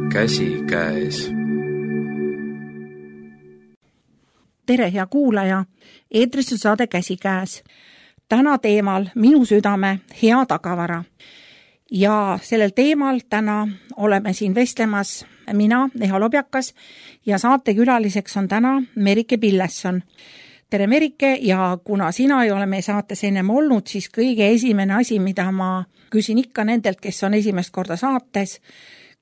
käsikäes. Tere, hea kuulaja! Eetris on saade Käsikäes. Täna teemal minu südame hea tagavara. Ja sellel teemal täna oleme siin vestlemas mina, Eha Lobjakas, ja saatekülaliseks on täna Merike Pillesson. Tere, Merike, ja kuna sina ei ole meie saates ennem olnud, siis kõige esimene asi, mida ma küsin ikka nendelt, kes on esimest korda saates,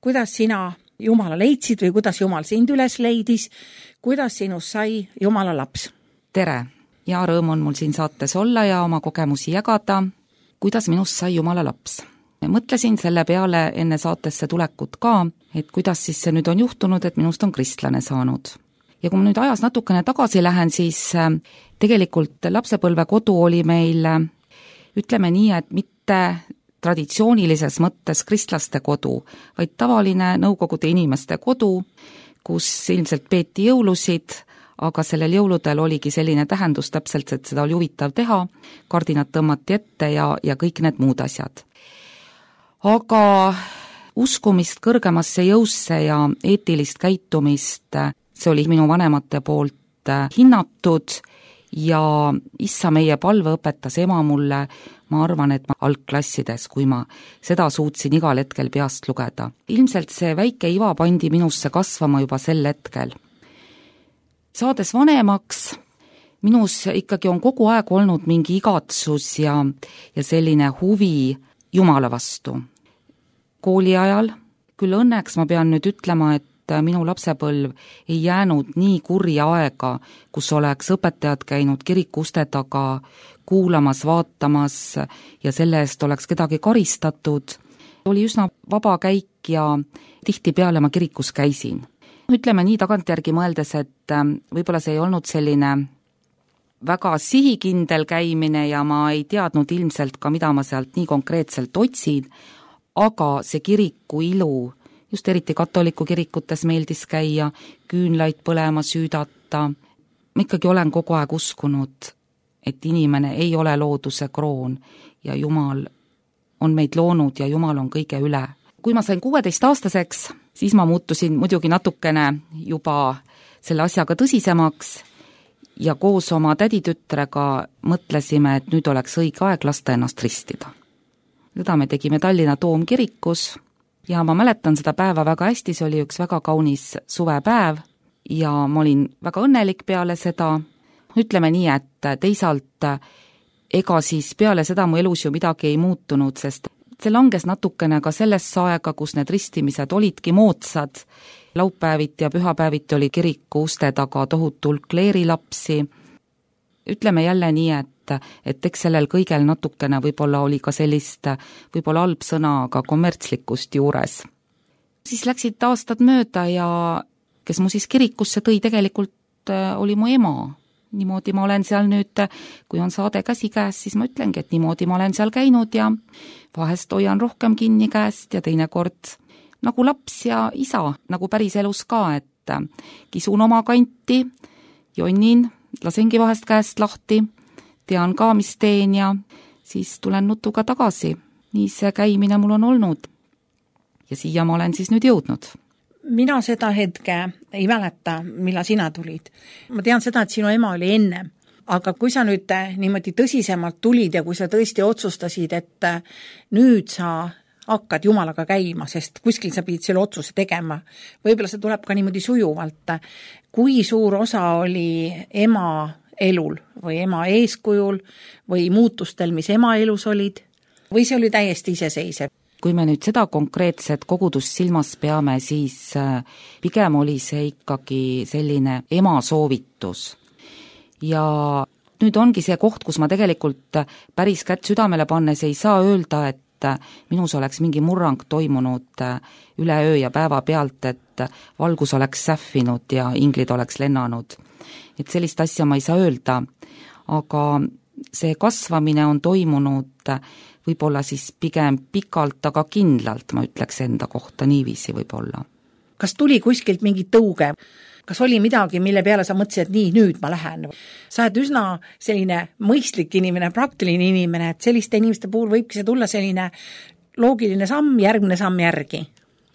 kuidas sina Jumala leidsid või kuidas Jumal sind üles leidis, kuidas sinust sai Jumala laps? Tere ja rõõm on mul siin saates olla ja oma kogemusi jagada, kuidas minust sai Jumala laps. Mõtlesin selle peale enne saatesse tulekut ka, et kuidas siis see nüüd on juhtunud, et minust on kristlane saanud. Ja kui ma nüüd ajas natukene tagasi lähen, siis tegelikult lapsepõlvekodu oli meil, ütleme nii, et mitte traditsioonilises mõttes kristlaste kodu, vaid tavaline nõukogude inimeste kodu, kus ilmselt peeti jõulusid, aga sellel jõuludel oligi selline tähendus täpselt, et seda oli huvitav teha, kardinad tõmmati ette ja kõik need muud asjad. Aga uskumist kõrgemasse jõusse ja eetilist käitumist, see oli minu vanemate poolt hinnatud ja issa meie palve õpetas ema mulle, ma arvan, et ma algklassides, kui ma seda suutsin igal hetkel peast lugeda. Ilmselt see väike iva pandi minusse kasvama juba sel hetkel. Saades vanemaks, minus ikkagi on kogu aeg olnud mingi igatsus ja selline huvi Jumala vastu. Kooli ajal, küll õnneks ma pean nüüd ütlema, et minu lapsepõlv ei jäänud nii kurja aega, kus oleks õpetajad käinud kiriku uste taga kuulamas, vaatamas ja selle eest oleks kedagi karistatud. Oli üsna vaba käik ja tihtipeale ma kirikus käisin. Ütleme nii tagantjärgi mõeldes, et võib-olla see ei olnud selline väga sihikindel käimine ja ma ei teadnud ilmselt ka, mida ma sealt nii konkreetselt otsin, aga see kiriku ilu, just eriti katoliku kirikutes meeldis käia, küünlaid põlema süüdata. Ma ikkagi olen kogu aeg uskunud, et inimene ei ole looduse kroon ja Jumal on meid loonud ja Jumal on kõige üle. Kui ma sain 16-aastaseks, siis ma muutusin muidugi natukene juba selle asjaga tõsisemaks ja koos oma täditütrega mõtlesime, et nüüd oleks õige aeg lasta ennast ristida. Seda me tegime Tallinna Toomkirikus ja ma mäletan seda päeva väga hästi, see oli üks väga kaunis suvepäev ja ma olin väga õnnelik peale seda. Ütleme nii, et teisalt ega siis peale seda mu elus ju midagi ei muutunud, sest see langes natukene ka sellesse aega, kus need ristimised olidki moodsad. Laupäeviti ja pühapäeviti oli kiriku uste taga tohutu hulk kleerilapsi. Ütleme jälle nii, et eks sellel kõigel natukene võib-olla oli ka sellist, võib-olla halb sõna, aga kommertslikkust juures. Siis läksid aastad mööda ja kes mu siis kirikusse tõi, tegelikult oli mu ema. Niimoodi ma olen seal nüüd, kui on saade Käsikäes, siis ma ütlengi, et niimoodi ma olen seal käinud ja vahest hoian rohkem kinni käest ja teinekord nagu laps ja isa, nagu päris elus ka, et kisun oma kanti, jonnin, lasengi vahest käest lahti, tean ka, mis teen ja siis tulen nutuga tagasi. Nii see käimine mul on olnud ja siia ma olen siis nüüd jõudnud. Mina seda hetke ei mäleta, millal sina tulid. Ma tean seda, et sinu ema oli ennem, aga kui sa nüüd niimoodi tõsisemalt tulid ja kui sa tõesti otsustasid, et nüüd sa hakkad Jumalaga käima, sest kuskil sa pidid selle otsuse tegema, võib-olla see tuleb ka niimoodi sujuvalt. Kui suur osa oli ema elul või ema eeskujul või muutustel, mis ema elus olid, või see oli täiesti iseseisev? Kui me nüüd seda konkreetset kogudust silmas peame, siis pigem oli see ikkagi selline ema soovitus. Ja nüüd ongi see koht, kus ma tegelikult päris kätt südamele pannes ei saa öelda, et minus oleks mingi murrang toimunud üleöö ja päeva pealt, et valgus oleks sähvinud ja inglid oleks lennanud. Et sellist asja ma ei saa öelda, aga see kasvamine on toimunud võib-olla siis pigem pikalt, aga kindlalt, ma ütleks enda kohta niiviisi võib-olla. Kas tuli kuskilt mingi tõuge? Kas oli midagi, mille peale sa mõtlesid, et nii, nüüd ma lähen? Sa oled üsna selline mõistlik inimene, praktiline inimene, et selliste inimeste puhul võibki see tulla selline loogiline samm, järgmine samm järgi.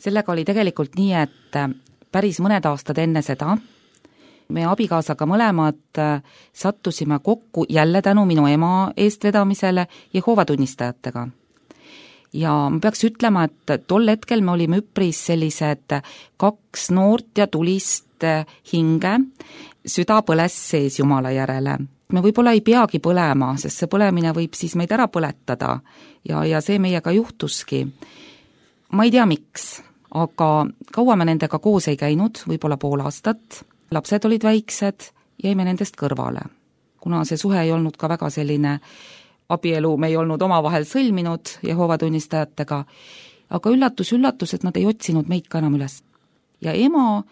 sellega oli tegelikult nii, et päris mõned aastad enne seda me abikaasaga mõlemad sattusime kokku jälle tänu minu ema eestvedamisele Jehoova tunnistajatega. Ja ma peaks ütlema, et tol hetkel me olime üpris sellised 2 noort ja tulist hinge, süda põles sees Jumala järele. Me võib-olla ei peagi põlema, sest see põlemine võib siis meid ära põletada ja see meiega juhtuski. Ma ei tea miks, aga kaua me nendega koos ei käinud, võib-olla pool aastat, lapsed olid väiksed, jäime nendest kõrvale. Kuna see suhe ei olnud ka väga selline abielu, me ei olnud omavahel sõlminud Jehoova tunnistajatega, aga üllatus, et nad ei otsinud meid ka enam üles. Ja ema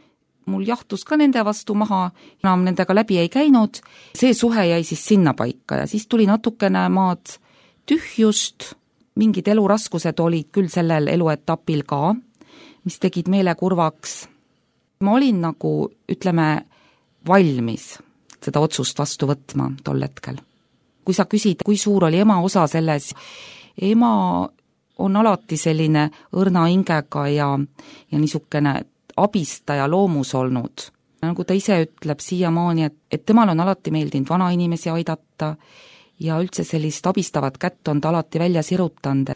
mul jahtus ka nende vastu maha, enam nendega läbi ei käinud, see suhe jäi siis sinna paika ja siis tuli natukene maad tühjust, mingid eluraskused olid küll sellel eluetapil ka, mis tegid meele kurvaks. Ma olin nagu, ütleme, valmis seda otsust vastu võtma tol hetkel. Kui sa küsid, kui suur oli ema osa selles, ema on alati selline õrna hingega ja niisugune abistaja loomus olnud. Nagu ta ise ütleb siiamaani, et temal on alati meeldinud vanainimesi aidata ja üldse sellist abistavat kätt on ta alati välja sirutanud.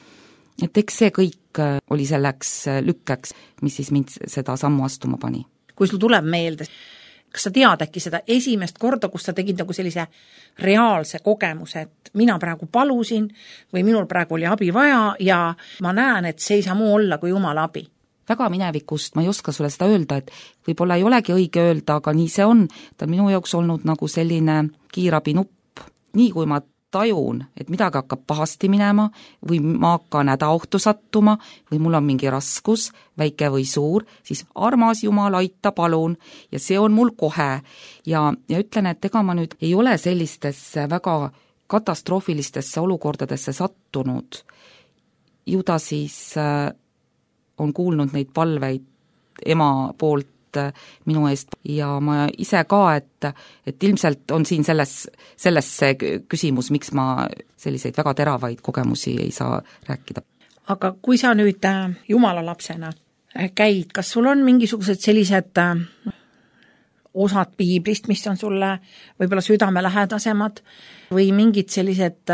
Et eks see kõik oli selleks lükkeks, mis siis mind seda sammu astuma pani. Kui sul tuleb meelde, kas sa tead äkki seda esimest korda, kus sa tegid nagu sellise reaalse kogemuse, et mina praegu palusin või minul praegu oli abi vaja ja ma näen, et see ei saa muu olla kui Jumala abi? Väga minevikust ma ei oska sulle seda öelda, et võib-olla ei olegi õige öelda, aga nii see on. Ta on minu jaoks olnud nagu selline kiirabinupp. Nii kui ma tajun, et midagi hakkab pahasti minema või ma hakkan hädaohtu sattuma või mul on mingi raskus, väike või suur, siis armas Jumal, aita palun ja see on mul kohe. Ja ütlen, et ega ma nüüd ei ole sellistesse väga katastroofilistesse olukordadesse sattunud. Ju ta siis on kuulnud neid palveid ema poolt minu eest ja ma ise ka, et ilmselt on siin selles küsimus, miks ma selliseid väga teravaid kogemusi ei saa rääkida. Aga kui sa nüüd Jumala lapsena käid, kas sul on mingisugused sellised osad piiblist, mis on sulle võib-olla südamelähedasemad või mingid sellised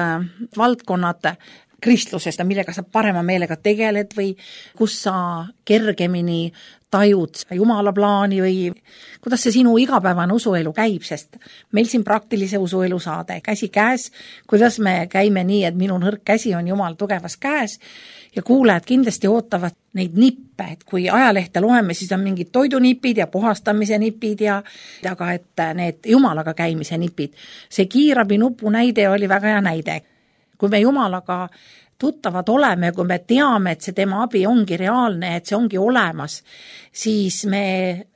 valdkonnad kristlusest, millega sa parema meelega tegeled või kus sa kergemini tajud Jumala plaani või kuidas see sinu igapäevane usuelu käib, sest meil siin praktilise usuelu saade käsi käes, kuidas me käime nii, et minu nõrk käsi on Jumala tugevas käes ja kuulajad kindlasti ootavad neid nippe, et kui ajalehte loeme, siis on mingid toidunipid ja puhastamise nipid aga et need Jumalaga käimise nipid. See kiirabinupu näide oli väga hea näide. Kui me Jumalaga tuttavad oleme, kui me teame, et see tema abi ongi reaalne, et see ongi olemas, siis me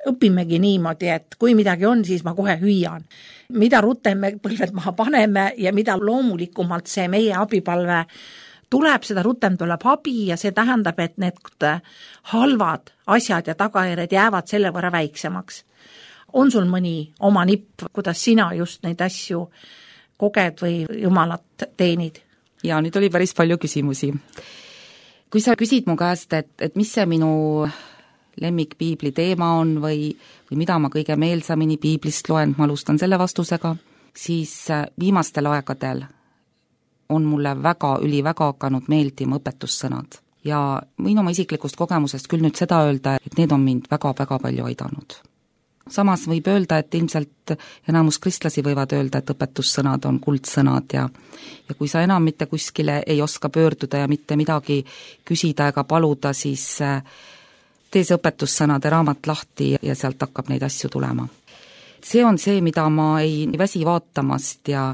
õpimegi niimoodi, et kui midagi on, siis ma kohe hüüan. Mida rutem me põlved maha paneme ja mida loomulikumalt see meie abipalve tuleb, seda rutem tuleb abi ja see tähendab, et need halvad asjad ja tagajärjed jäävad selle võrra väiksemaks. On sul mõni oma nipp, kuidas sina just neid asju koged või Jumalat teenid? Ja nüüd oli päris palju küsimusi. Kui sa küsid mu käest, et mis see minu lemmikpiibli teema on või mida ma kõige meelsamini piiblist loen, ma alustan selle vastusega, siis viimastel aegadel on mulle väga hakanud meeldima õpetussõnad. Ja võin oma isiklikust kogemusest küll nüüd seda öelda, et need on mind väga palju aidanud. Samas võib öelda, et ilmselt enamus kristlasi võivad öelda, et õpetussõnad on kuldsõnad ja kui sa enam mitte kuskile ei oska pöörduda ja mitte midagi küsida ega paluda, siis tee see õpetussõnade raamat lahti ja sealt hakkab neid asju tulema. See on see, mida ma ei väsi vaatamast ja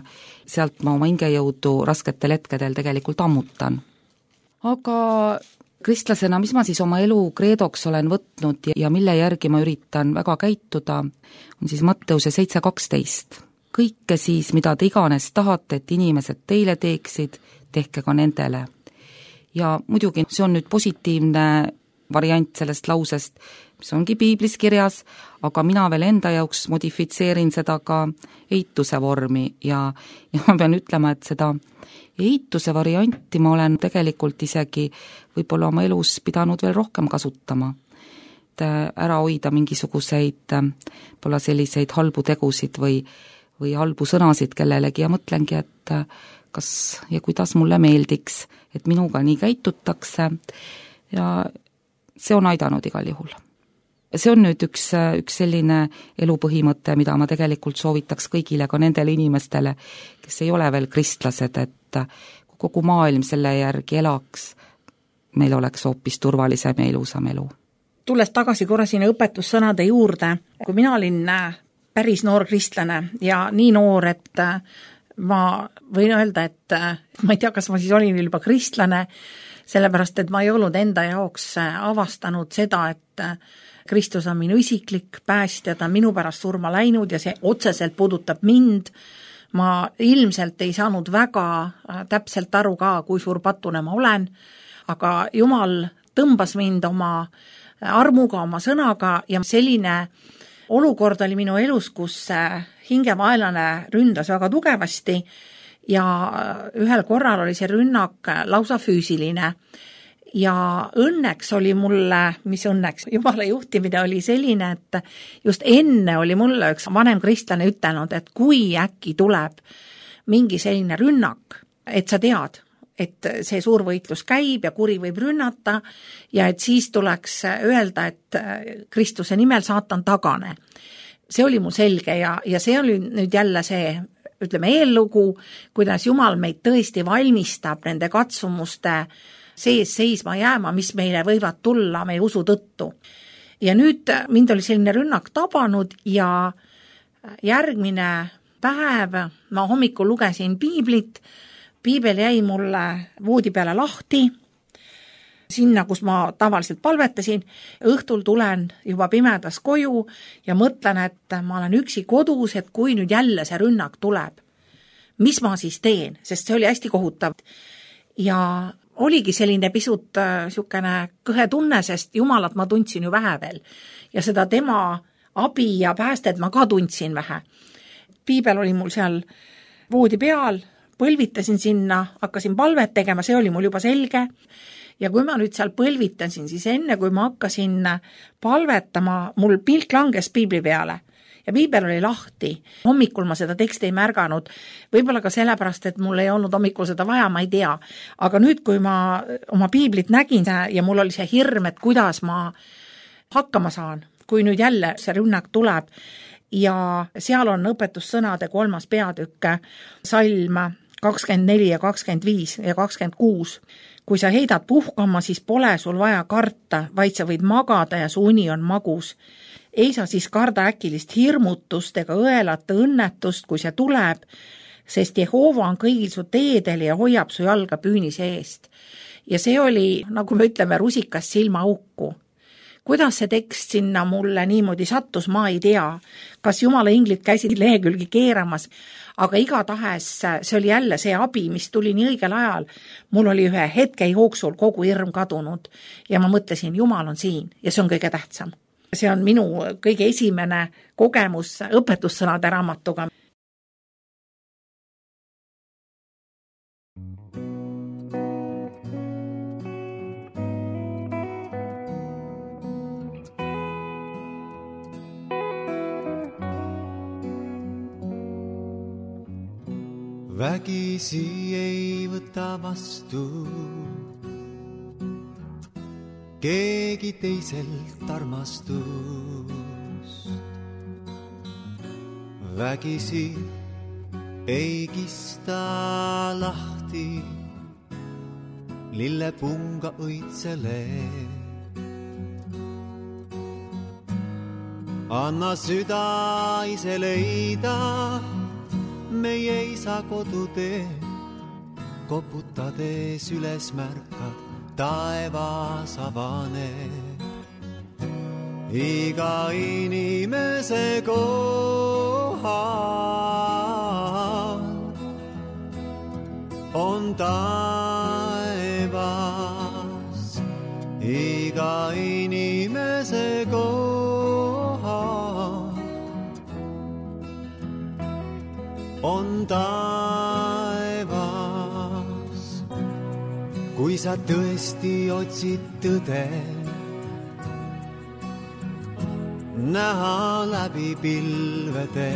sealt ma oma hingejõudu rasketel hetkedel tegelikult ammutan. Aga kristlasena, mis ma siis oma elu kreedoks olen võtnud ja mille järgi ma üritan väga käituda, on siis Matteuse 7:12. Kõike siis, mida te iganes tahate, et inimesed teile teeksid, tehke ka nendele. Ja muidugi see on nüüd positiivne variant sellest lausest, mis ongi piiblis kirjas, aga mina veel enda jaoks modifitseerin seda ka eituse vormi ja ma pean ütlema, et seda eituse varianti ma olen tegelikult isegi võib-olla oma elus pidanud veel rohkem kasutama. Et ära hoida mingisuguseid pole selliseid halbu tegusid või halbu sõnasid kellelegi ja mõtlengi, et kas ja kuidas mulle meeldiks, et minuga nii käitutakse ja see on aidanud igal juhul. See on nüüd üks selline elupõhimõte, mida ma tegelikult soovitaks kõigile, ka nendele inimestele, kes ei ole veel kristlased, et kogu maailm selle järgi elaks, meil oleks hoopis turvalisem ja ilusam elu. Tulles tagasi korra sinna õpetussõnade juurde, kui mina olin päris noor kristlane ja nii noor, et ma võin öelda, et ma ei tea, kas ma siis olin juba kristlane, sellepärast, et ma ei olnud enda jaoks avastanud seda, et Kristus on minu isiklik päästja, ta on minu pärast surma läinud ja see otseselt puudutab mind. Ma ilmselt ei saanud väga täpselt aru ka, kui suur patune ma olen, aga Jumal tõmbas mind oma armuga, oma sõnaga ja selline olukord oli minu elus, kus hingevaenlane ründas väga tugevasti ja ühel korral oli see rünnak lausa füüsiline. Ja õnneks oli mulle, mis õnneks, Jumala juhtimine oli selline, et just enne oli mulle üks vanem kristlane ütelnud, et kui äkki tuleb mingi selline rünnak, et sa tead, et see suur võitlus käib ja kuri võib rünnata ja et siis tuleks öelda, et Kristuse nimel saatan tagane. See oli mul selge ja see oli nüüd jälle see, ütleme, eellugu, kuidas Jumal meid tõesti valmistab nende katsumuste sees seisma jääma, mis meile võivad tulla meie usu tõttu. Ja nüüd mind oli selline rünnak tabanud ja järgmine päev ma hommikul lugesin piiblit, piibel jäi mulle voodi peale lahti, sinna, kus ma tavaliselt palvetasin, õhtul tulen juba pimedas koju ja mõtlen, et ma olen üksi kodus, et kui nüüd jälle see rünnak tuleb, mis ma siis teen, sest see oli hästi kohutav. Ja oligi selline pisut sükene kõhe tunne, sest Jumalat ma tundsin ju vähe veel. Ja seda tema abi ja päästed ma ka tundsin vähe. Piibel oli mul seal voodi peal, põlvitasin sinna, hakkasin palvet tegema, see oli mul juba selge. Ja kui ma nüüd seal põlvitasin, siis enne kui ma hakkasin palvetama, mul pilk langes piibli peale. Ja piibel oli lahti. Hommikul ma seda teksti ei märganud. Võib-olla ka sellepärast, et mul ei olnud hommikul seda vaja, ma ei tea. Aga nüüd, kui ma oma piiblit nägin ja mul oli see hirm, et kuidas ma hakkama saan, kui nüüd jälle see rünnak tuleb. Ja seal on õpetussõnade 3. peatükk, salm 24 ja 25 ja 26. Kui sa heidad puhkama, siis pole sul vaja karta, vaid sa võid magada ja su uni on magus. Ei saa siis karda äkilist hirmutust ega õelata õnnetust, kui see tuleb, sest Jehova on kõigil su teedel ja hoiab su jalga püünise eest. Ja see oli, nagu me ütleme, rusikas silma auku. Kuidas see tekst sinna mulle niimoodi sattus, ma ei tea. Kas Jumala inglid käisid lehekülgi keeramas, aga igatahes see oli jälle see abi, mis tuli nii õigel ajal. Mul oli ühe hetke jooksul kogu hirm kadunud ja ma mõtlesin, Jumal on siin ja see on kõige tähtsam. See on minu kõige esimene kogemus õpetussõnade raamatuga. Vägisi ei võta vastu keegi teiselt armastust. Vägisi ei kista lahti lillepunga õitsele. Anna süda ise leida meie isa kodutee, koputades üles märkad, taevas avaneb. Iga inimese kohal on taevas. iga inimese koha on taevas. Kui sa tõesti otsid tõde, näha läbi pilvede,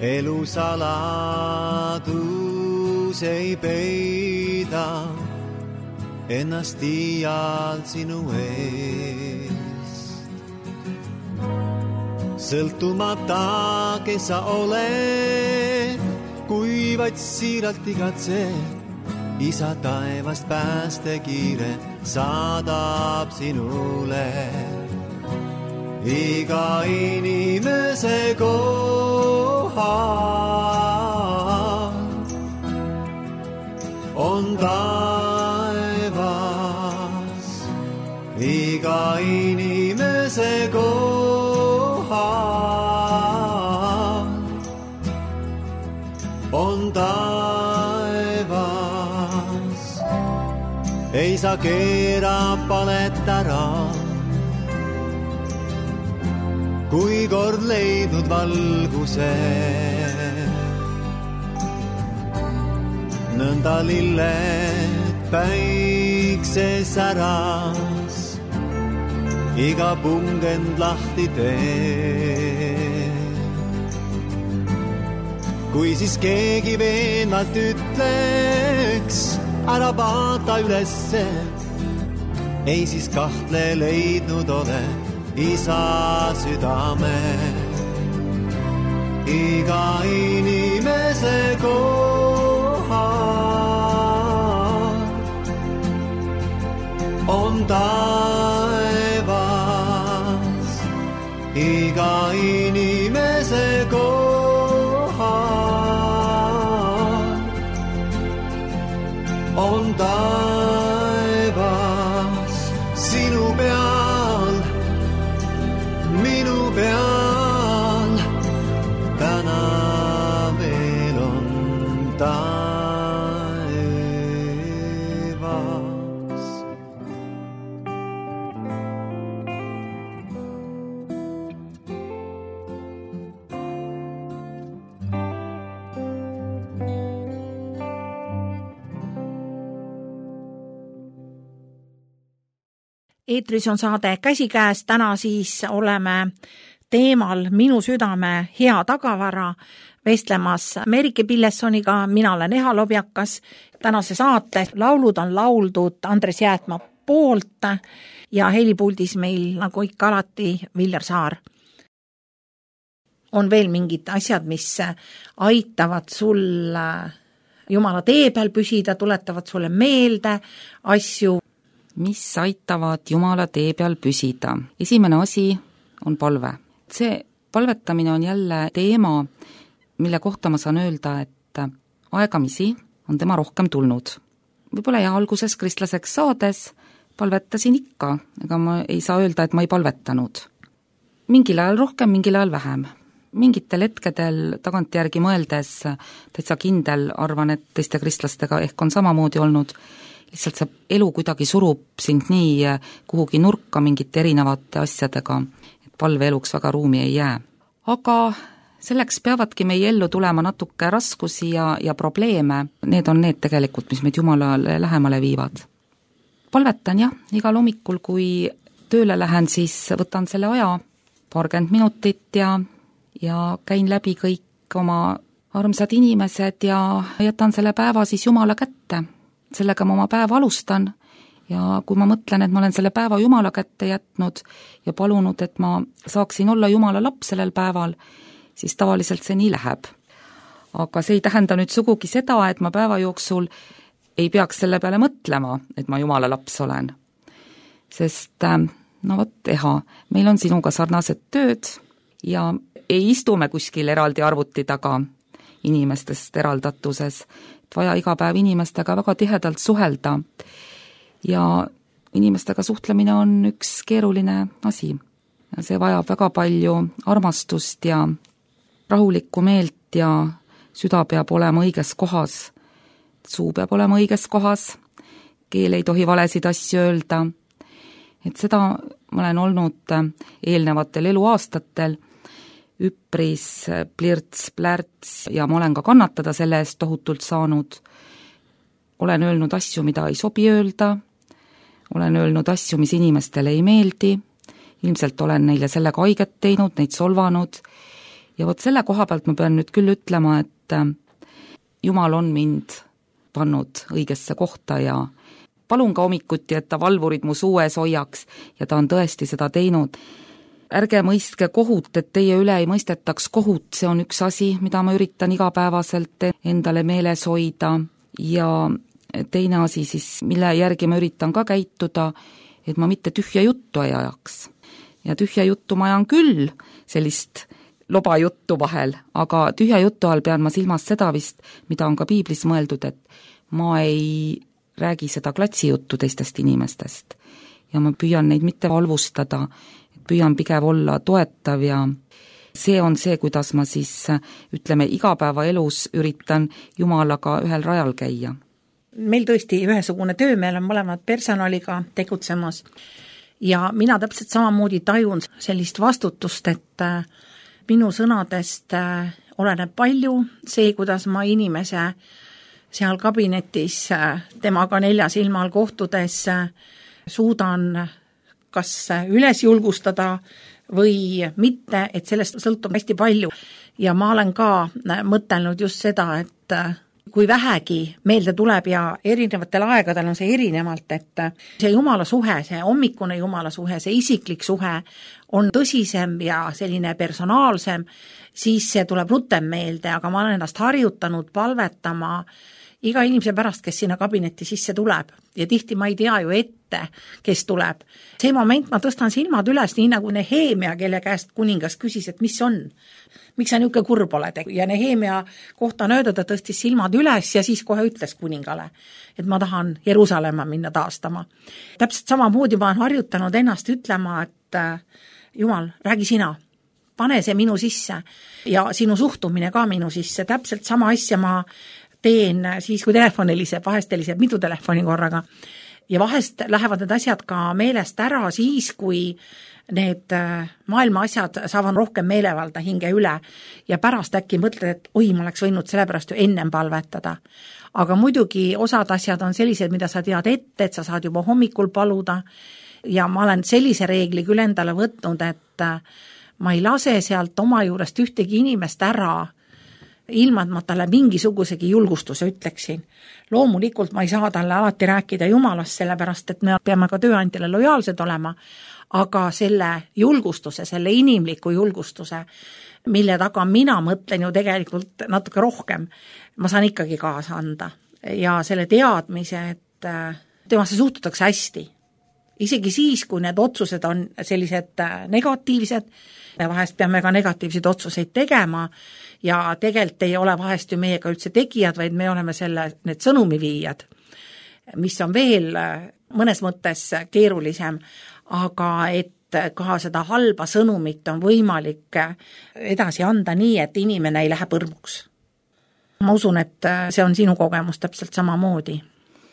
elu saladus ei peida ennast iial sinu eest. Sõltumata, kes sa oled, kui vaid siiralt igatsed, Isa taevast päästekiire saadab sinule. Iga inimese kohal on taevas. Iga inimese kohal on taevas. Ei saa keera palet ära, kui kord leidnud valguse. Nõnda lilled päikses äras, iga pungend lahti tee. Kui siis keegi veenvalt ütleks, ära vaata ülesse, ei siis kahtle leidnud ole Isa südame. Iga inimese kohal on taevas. Iga inimese kohal on taevas. Sinu peal, minu peal, täna veel on taevas. Eetris on saade Käsikäes, täna siis oleme teemal Minu südame hea tagavara vestlemas Merike Pillessoniga, mina olen Eha Lobjakas. Tänase saate laulud on lauldud Andres Jäätma poolt ja helipuldis meil nagu ikka alati Viljar Saar. On veel mingid asjad, mis aitavad sul Jumala tee peal püsida, tuletavad sulle meelde asju, mis aitavad Jumala tee peal püsida. Esimene asi on palve. See palvetamine on jälle teema, mille kohta ma saan öelda, et aegamisi on tema rohkem tulnud. Võib-olla ja alguses kristlaseks saades palvetasin ikka, ega ma ei saa öelda, et ma ei palvetanud. Mingil ajal rohkem, mingil ajal vähem. Mingitel hetkedel tagantjärgi mõeldes täitsa kindel arvan, et teiste kristlastega ehk on samamoodi olnud. Lihtsalt see elu kuidagi surub sind nii kuhugi nurka mingite erinevate asjadega, et palveeluks väga ruumi ei jää. Aga selleks peavadki meie ellu tulema natuke raskusi ja probleeme. Need on need tegelikult, mis meid Jumalale lähemale viivad. Palvetan jah, igal hommikul, kui tööle lähen, siis võtan selle aja, 20 minutit ja käin läbi kõik oma armsad inimesed ja jätan selle päeva siis Jumala kätte. Sellega ma oma päeva alustan ja kui ma mõtlen, et ma olen selle päeva Jumala kätte jätnud ja palunud, et ma saaksin olla Jumala laps sellel päeval, siis tavaliselt see nii läheb. Aga see ei tähenda nüüd sugugi seda, et ma päeva jooksul ei peaks selle peale mõtlema, et ma Jumala laps olen. Sest, no vot, Eha, meil on sinuga sarnased tööd ja ei istume kuskil eraldi arvuti taga inimestest eraldatuses, et vaja iga päev inimestega väga tihedalt suhelda ja inimestega suhtlemine on üks keeruline asi. Ja see vajab väga palju armastust ja rahulikku meelt ja süda peab olema õiges kohas, suu peab olema õiges kohas keel ei tohi valesid asju öelda. Et seda ma olen olnud eelnevatel eluaastatel üpris plirts-plärts ja ma olen ka kannatada selle eest tohutult saanud. Olen öelnud asju, mida ei sobi öelda, olen öelnud asju, mis inimestele ei meeldi, ilmselt olen neile sellega haiget teinud, neid solvanud ja vot selle koha pealt ma pean nüüd küll ütlema, et Jumal on mind pannud õigesse kohta ja palun ka hommikuti, et ta valvurid mu suues hoiaks ja ta on tõesti seda teinud. Ärge mõistke kohut, et teie üle ei mõistetaks kohut, see on üks asi, mida ma üritan igapäevaselt endale meeles hoida ja teine asi siis, mille järgi ma üritan ka käituda, et ma mitte tühja juttu ei ajaks. Ja tühja juttu ma ajan küll, sellist loba juttu vahel, aga tühja jutu all pean ma silmas seda vist, mida on ka piiblis mõeldud, et ma ei räägi seda klatsijuttu teistest inimestest ja ma püüan neid mitte valvustada, püüan pigem olla toetav ja see on see, kuidas ma siis, ütleme, igapäevaelus üritan Jumalaga ühel rajal käia. Meil tõesti ühesugune töö, meil on mõlemad personaliga tegutsemas ja mina täpselt samamoodi tajun sellist vastutust, et minu sõnadest oleneb palju see, kuidas ma inimese seal kabinetis temaga 4 silma all kohtudes suudan kas üles julgustada või mitte, et sellest sõltub hästi palju. Ja ma olen ka mõtelnud just seda, et kui vähegi meelde tuleb ja erinevatel aegadel on see erinevalt, et see Jumala suhe, see hommikune Jumala suhe, see isiklik suhe on tõsisem ja selline personaalsem, siis see tuleb rutem meelde, aga ma olen ennast harjutanud palvetama iga inimese pärast, kes sinna kabinetti sisse tuleb ja tihti ma ei tea ju ette, kes tuleb. See moment ma tõstan silmad üles, nii nagu Nehemia, kelle käest kuningas küsis, et mis on, miks sa niisugune kurb oled ja Nehemia kohta on öeldud, ta tõstis silmad üles ja siis kohe ütles kuningale, et ma tahan Jeruusalemma minna taastama. Täpselt samamoodi ma olen harjutanud ennast ütlema, et Jumal, räägi sina, pane see minu sisse ja sinu suhtumine ka minu sisse, täpselt sama asja ma teen siis, kui telefon heliseb, vahest heliseb mitu telefoni korraga ja vahest lähevad need asjad ka meelest ära siis, kui need maailma asjad saavad rohkem meelevalda hinge üle ja pärast äkki mõtled, et oi, ma oleks võinud sellepärast ju ennem palvetada. Aga muidugi osad asjad on sellised, mida sa tead ette, et sa saad juba hommikul paluda ja ma olen sellise reegli küll endale võtnud, et ma ei lase sealt oma juurest ühtegi inimest ära, ilma et ma talle mingisugusegi julgustuse ütleksin. Loomulikult ma ei saa talle alati rääkida Jumalast, sellepärast et me peame ka tööandjale lojaalsed olema, aga selle julgustuse, selle inimliku julgustuse, mille taga mina mõtlen ju tegelikult natuke rohkem, ma saan ikkagi kaasa anda. Ja selle teadmise, et temasse suhtutakse hästi. Isegi siis, kui need otsused on sellised negatiivsed, me vahest peame ka negatiivseid otsuseid tegema ja tegelikult ei ole vahest ju meiega üldse tegijad, vaid me oleme need sõnumiviijad, mis on veel mõnes mõttes keerulisem, aga et ka seda halba sõnumit on võimalik edasi anda nii, et inimene ei lähe põrmuks. Ma usun, et see on sinu kogemus täpselt samamoodi.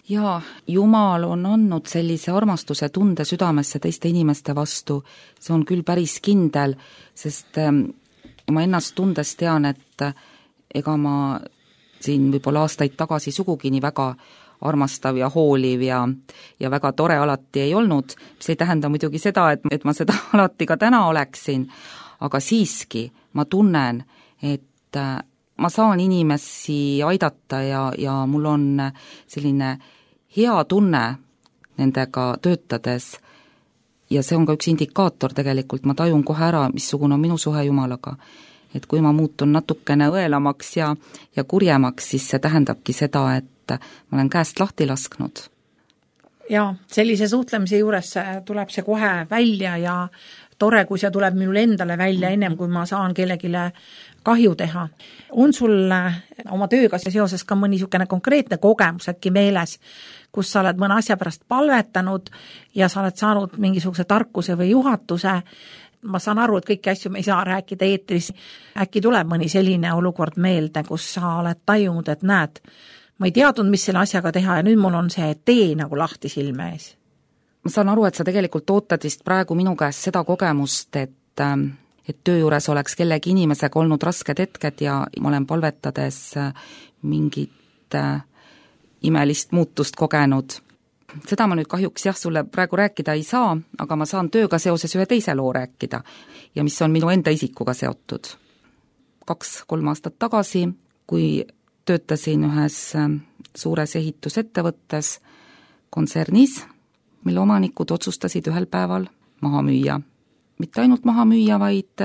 Jaa, Jumal on andnud sellise armastuse tunde südamesse teiste inimeste vastu, see on küll päris kindel, sest ma ennast tundes tean, et ega ma siin võib-olla aastaid tagasi sugugi nii väga armastav ja hooliv ja väga tore alati ei olnud, mis ei tähenda muidugi seda, et ma seda alati ka täna oleksin, aga siiski ma tunnen, et ma saan inimesi aidata ja mul on selline hea tunne nendega töötades ja see on ka üks indikaator tegelikult, ma tajun kohe ära, missugune on minu suhe Jumalaga. Et kui ma muutun natukene õelamaks ja kurjemaks, siis see tähendabki seda, et ma olen käest lahti lasknud. Ja sellise suhtlemise juures tuleb see kohe välja ja tore, kui see tuleb minul endale välja ennem, kui ma saan kellegile kahju teha. On sul oma tööga seoses ka mõni niisugune konkreetne kogemus äkki meeles, kus sa oled mõne asja pärast palvetanud ja sa oled saanud mingisuguse tarkuse või juhatuse? Ma saan aru, et kõiki asju me ei saa rääkida eetris. Äkki tuleb mõni selline olukord meelde, kus sa oled tajunud, et näed, ma ei teadnud, mis selle asjaga teha ja nüüd mul on see tee nagu lahti silme ees. Ma saan aru, et sa tegelikult ootad vist praegu minu käest seda kogemust, et töö juures oleks kellegi inimesega olnud rasked hetked ja ma olen palvetades mingit imelist muutust kogenud. Seda ma nüüd kahjuks sulle praegu rääkida ei saa, aga ma saan tööga seoses ühe teise loo rääkida ja mis on minu enda isikuga seotud. 2-3 aastat tagasi, kui töötasin ühes suures ehitusettevõttes kontsernis, mille omanikud otsustasid ühel päeval maha müüa. Mitte ainult maha müüa, vaid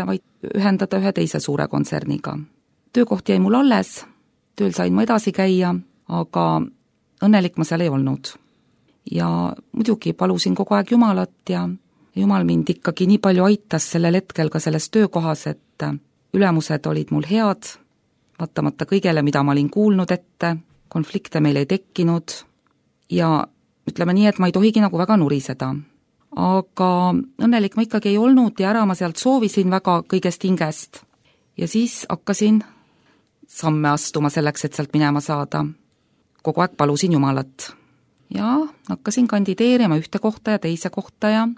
ühendada ühe teise suure kontserniga. Töökoht jäi mul alles, tööl sain ma edasi käia, aga õnnelik ma seal ei olnud. Ja muidugi palusin kogu aeg Jumalat ja Jumal mind ikkagi nii palju aitas sellel hetkel ka selles töökohas, et ülemused olid mul head, vaatamata kõigele, mida ma olin kuulnud ette, konflikte meil ei tekkinud ja ütleme nii, et ma ei tohigi nagu väga nuriseda. Aga õnnelik ma ikkagi ei olnud ja ära ma sealt soovisin väga kõigest hingest. Ja siis hakkasin samme astuma selleks, et sealt minema saada. Kogu aeg palusin Jumalat. Ja hakkasin kandideerima ühte kohta ja teise kohta ja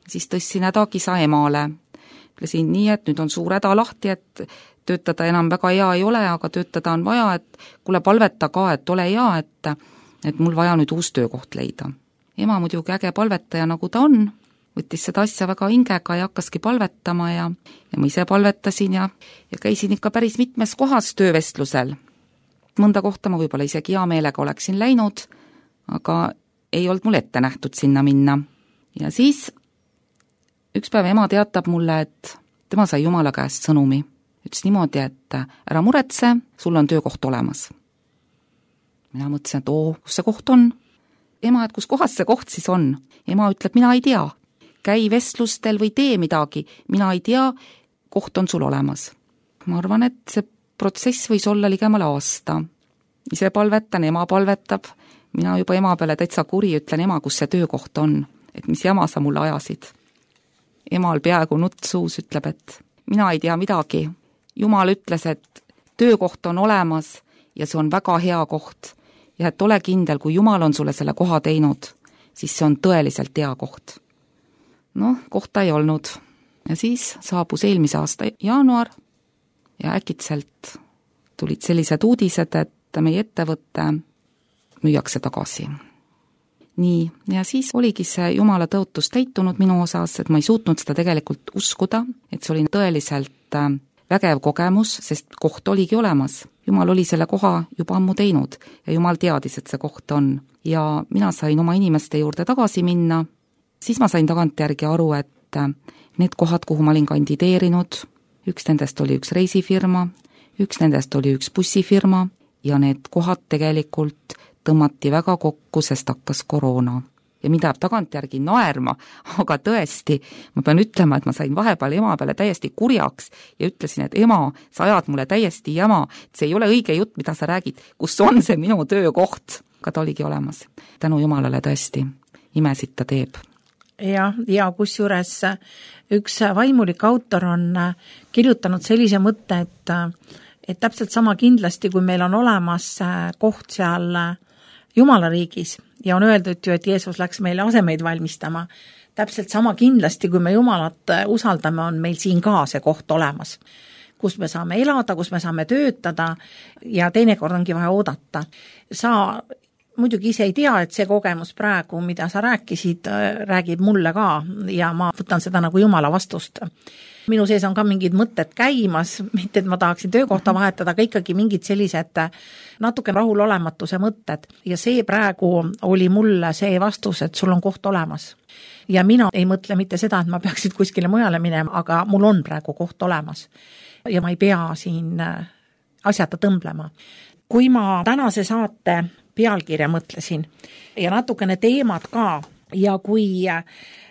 siis tõstsin hädakisa emale. Ütlesin nii, et nüüd on suur häda lahti, et töötada enam väga hea ei ole, aga töötada on vaja, et kuule palveta ka, et ole hea, et mul vaja nüüd uus töökoht leida. Ema muidugi äge palvetaja, nagu ta on, võttis seda asja väga hingega ja hakkaski palvetama ja ma ise palvetasin ja käisin ikka päris mitmes kohas töövestlusel. Mõnda kohta ma võib-olla isegi hea meelega oleksin läinud, aga ei olnud mul ette nähtud sinna minna. Ja siis üks päev ema teatab mulle, et tema sai Jumala käest sõnumi. Ütles niimoodi, et ära muretse, sul on töökoht olemas. Mina mõtlesin, et kus see koht on? Ema, et kus kohas see koht siis on? Ema ütleb, mina ei tea. Käi vestlustel või tee midagi. Mina ei tea, koht on sul olemas. Ma arvan, et see protsess võis olla ligemale aasta. Ise palvetan, ema palvetab. Mina juba ema peale täitsa kuri ütlen, ema, kus see töökoht on. Et mis jama sa mulle ajasid. Emal peaaegu nutt suus ütleb, et mina ei tea midagi. Jumal ütles, et töökoht on olemas ja see on väga hea koht. Ja et ole kindel, kui Jumal on sulle selle koha teinud, siis see on tõeliselt hea koht. Kohta ei olnud. Ja siis saabus eelmise aasta jaanuar ja äkitselt tulid sellised uudised, et meie ettevõtte müüakse tagasi. Nii, ja siis oligi see Jumala tõotus täitunud minu osas, et ma ei suutnud seda tegelikult uskuda, et see oli tõeliselt vägev kogemus, sest koht oligi olemas. Jumal oli selle koha juba ammu teinud ja Jumal teadis, et see koht on. Ja mina sain oma inimeste juurde tagasi minna. Siis ma sain tagantjärgi aru, et need kohad, kuhu ma olin kandideerinud, üks nendest oli üks reisifirma, üks nendest oli üks bussifirma ja need kohad tegelikult tõmmati väga kokku, sest hakkas koroona. Ja mind läheb tagantjärgi naerma, aga tõesti, ma pean ütlema, et ma sain vahepeal ema peale täiesti kurjaks ja ütlesin, et ema, sa ajad mulle täiesti jama, et see ei ole õige jutt, mida sa räägid, kus on see minu töökoht. Aga ta oligi olemas. Tänu Jumalale tõesti, imesid ta teeb. Ja kusjuures üks vaimulik autor on kirjutanud sellise mõtte, et täpselt sama kindlasti, kui meil on olemas koht seal Jumala riigis ja on öeldud ju, et Jeesus läks meile asemeid valmistama, täpselt sama kindlasti, kui me Jumalat usaldame, on meil siin ka see koht olemas, kus me saame elada, kus me saame töötada ja teinekord ongi vaja oodata. Sa muidugi ise ei tea, et see kogemus praegu, mida sa rääkisid, räägib mulle ka ja ma võtan seda nagu Jumala vastust. Minu sees on ka mingid mõtted käimas, mitte et ma tahaksin töökohta vahetada, aga ikkagi mingid sellised natuke rahulolematuse mõtted. Ja see praegu oli mulle see vastus, et sul on koht olemas. Ja mina ei mõtle mitte seda, et ma peaksid kuskile mujale minema, aga mul on praegu koht olemas. Ja ma ei pea siin asjata tõmblema. Kui ma tänase saate pealkirja mõtlesin ja natukene teemad ka ja kui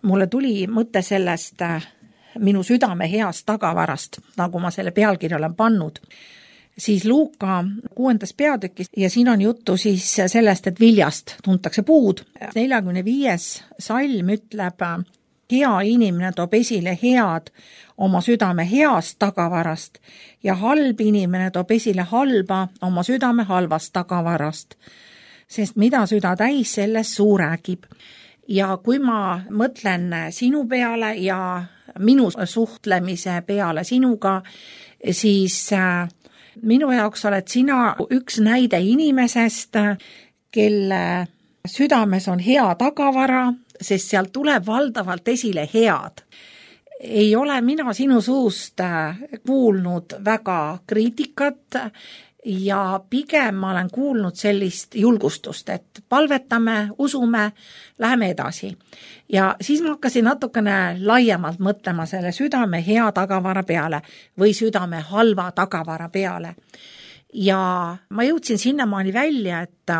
mulle tuli mõte sellest minu südame heast tagavarast, nagu ma selle pealkirja olen pannud, siis Luuka 6. peatükis ja siin on juttu siis sellest, et viljast tuntakse puud. 45. salm ütleb, hea inimene toob esile head oma südame heast tagavarast ja halb inimene toob esile halba oma südame halvast tagavarast. Sest mida süda täis, sellest suu räägib. Ja kui ma mõtlen sinu peale ja minu suhtlemise peale sinuga, siis minu jaoks oled sina üks näide inimesest, kelle südames on hea tagavara, sest sealt tuleb valdavalt esile head. Ei ole mina sinu suust kuulnud väga kriitikat ja pigem ma olen kuulnud sellist julgustust, et palvetame, usume, läheme edasi. Ja siis ma hakkasin natukene laiemalt mõtlema selle südame hea tagavara peale või südame halva tagavara peale. Ja ma jõudsin sinnamaani välja, et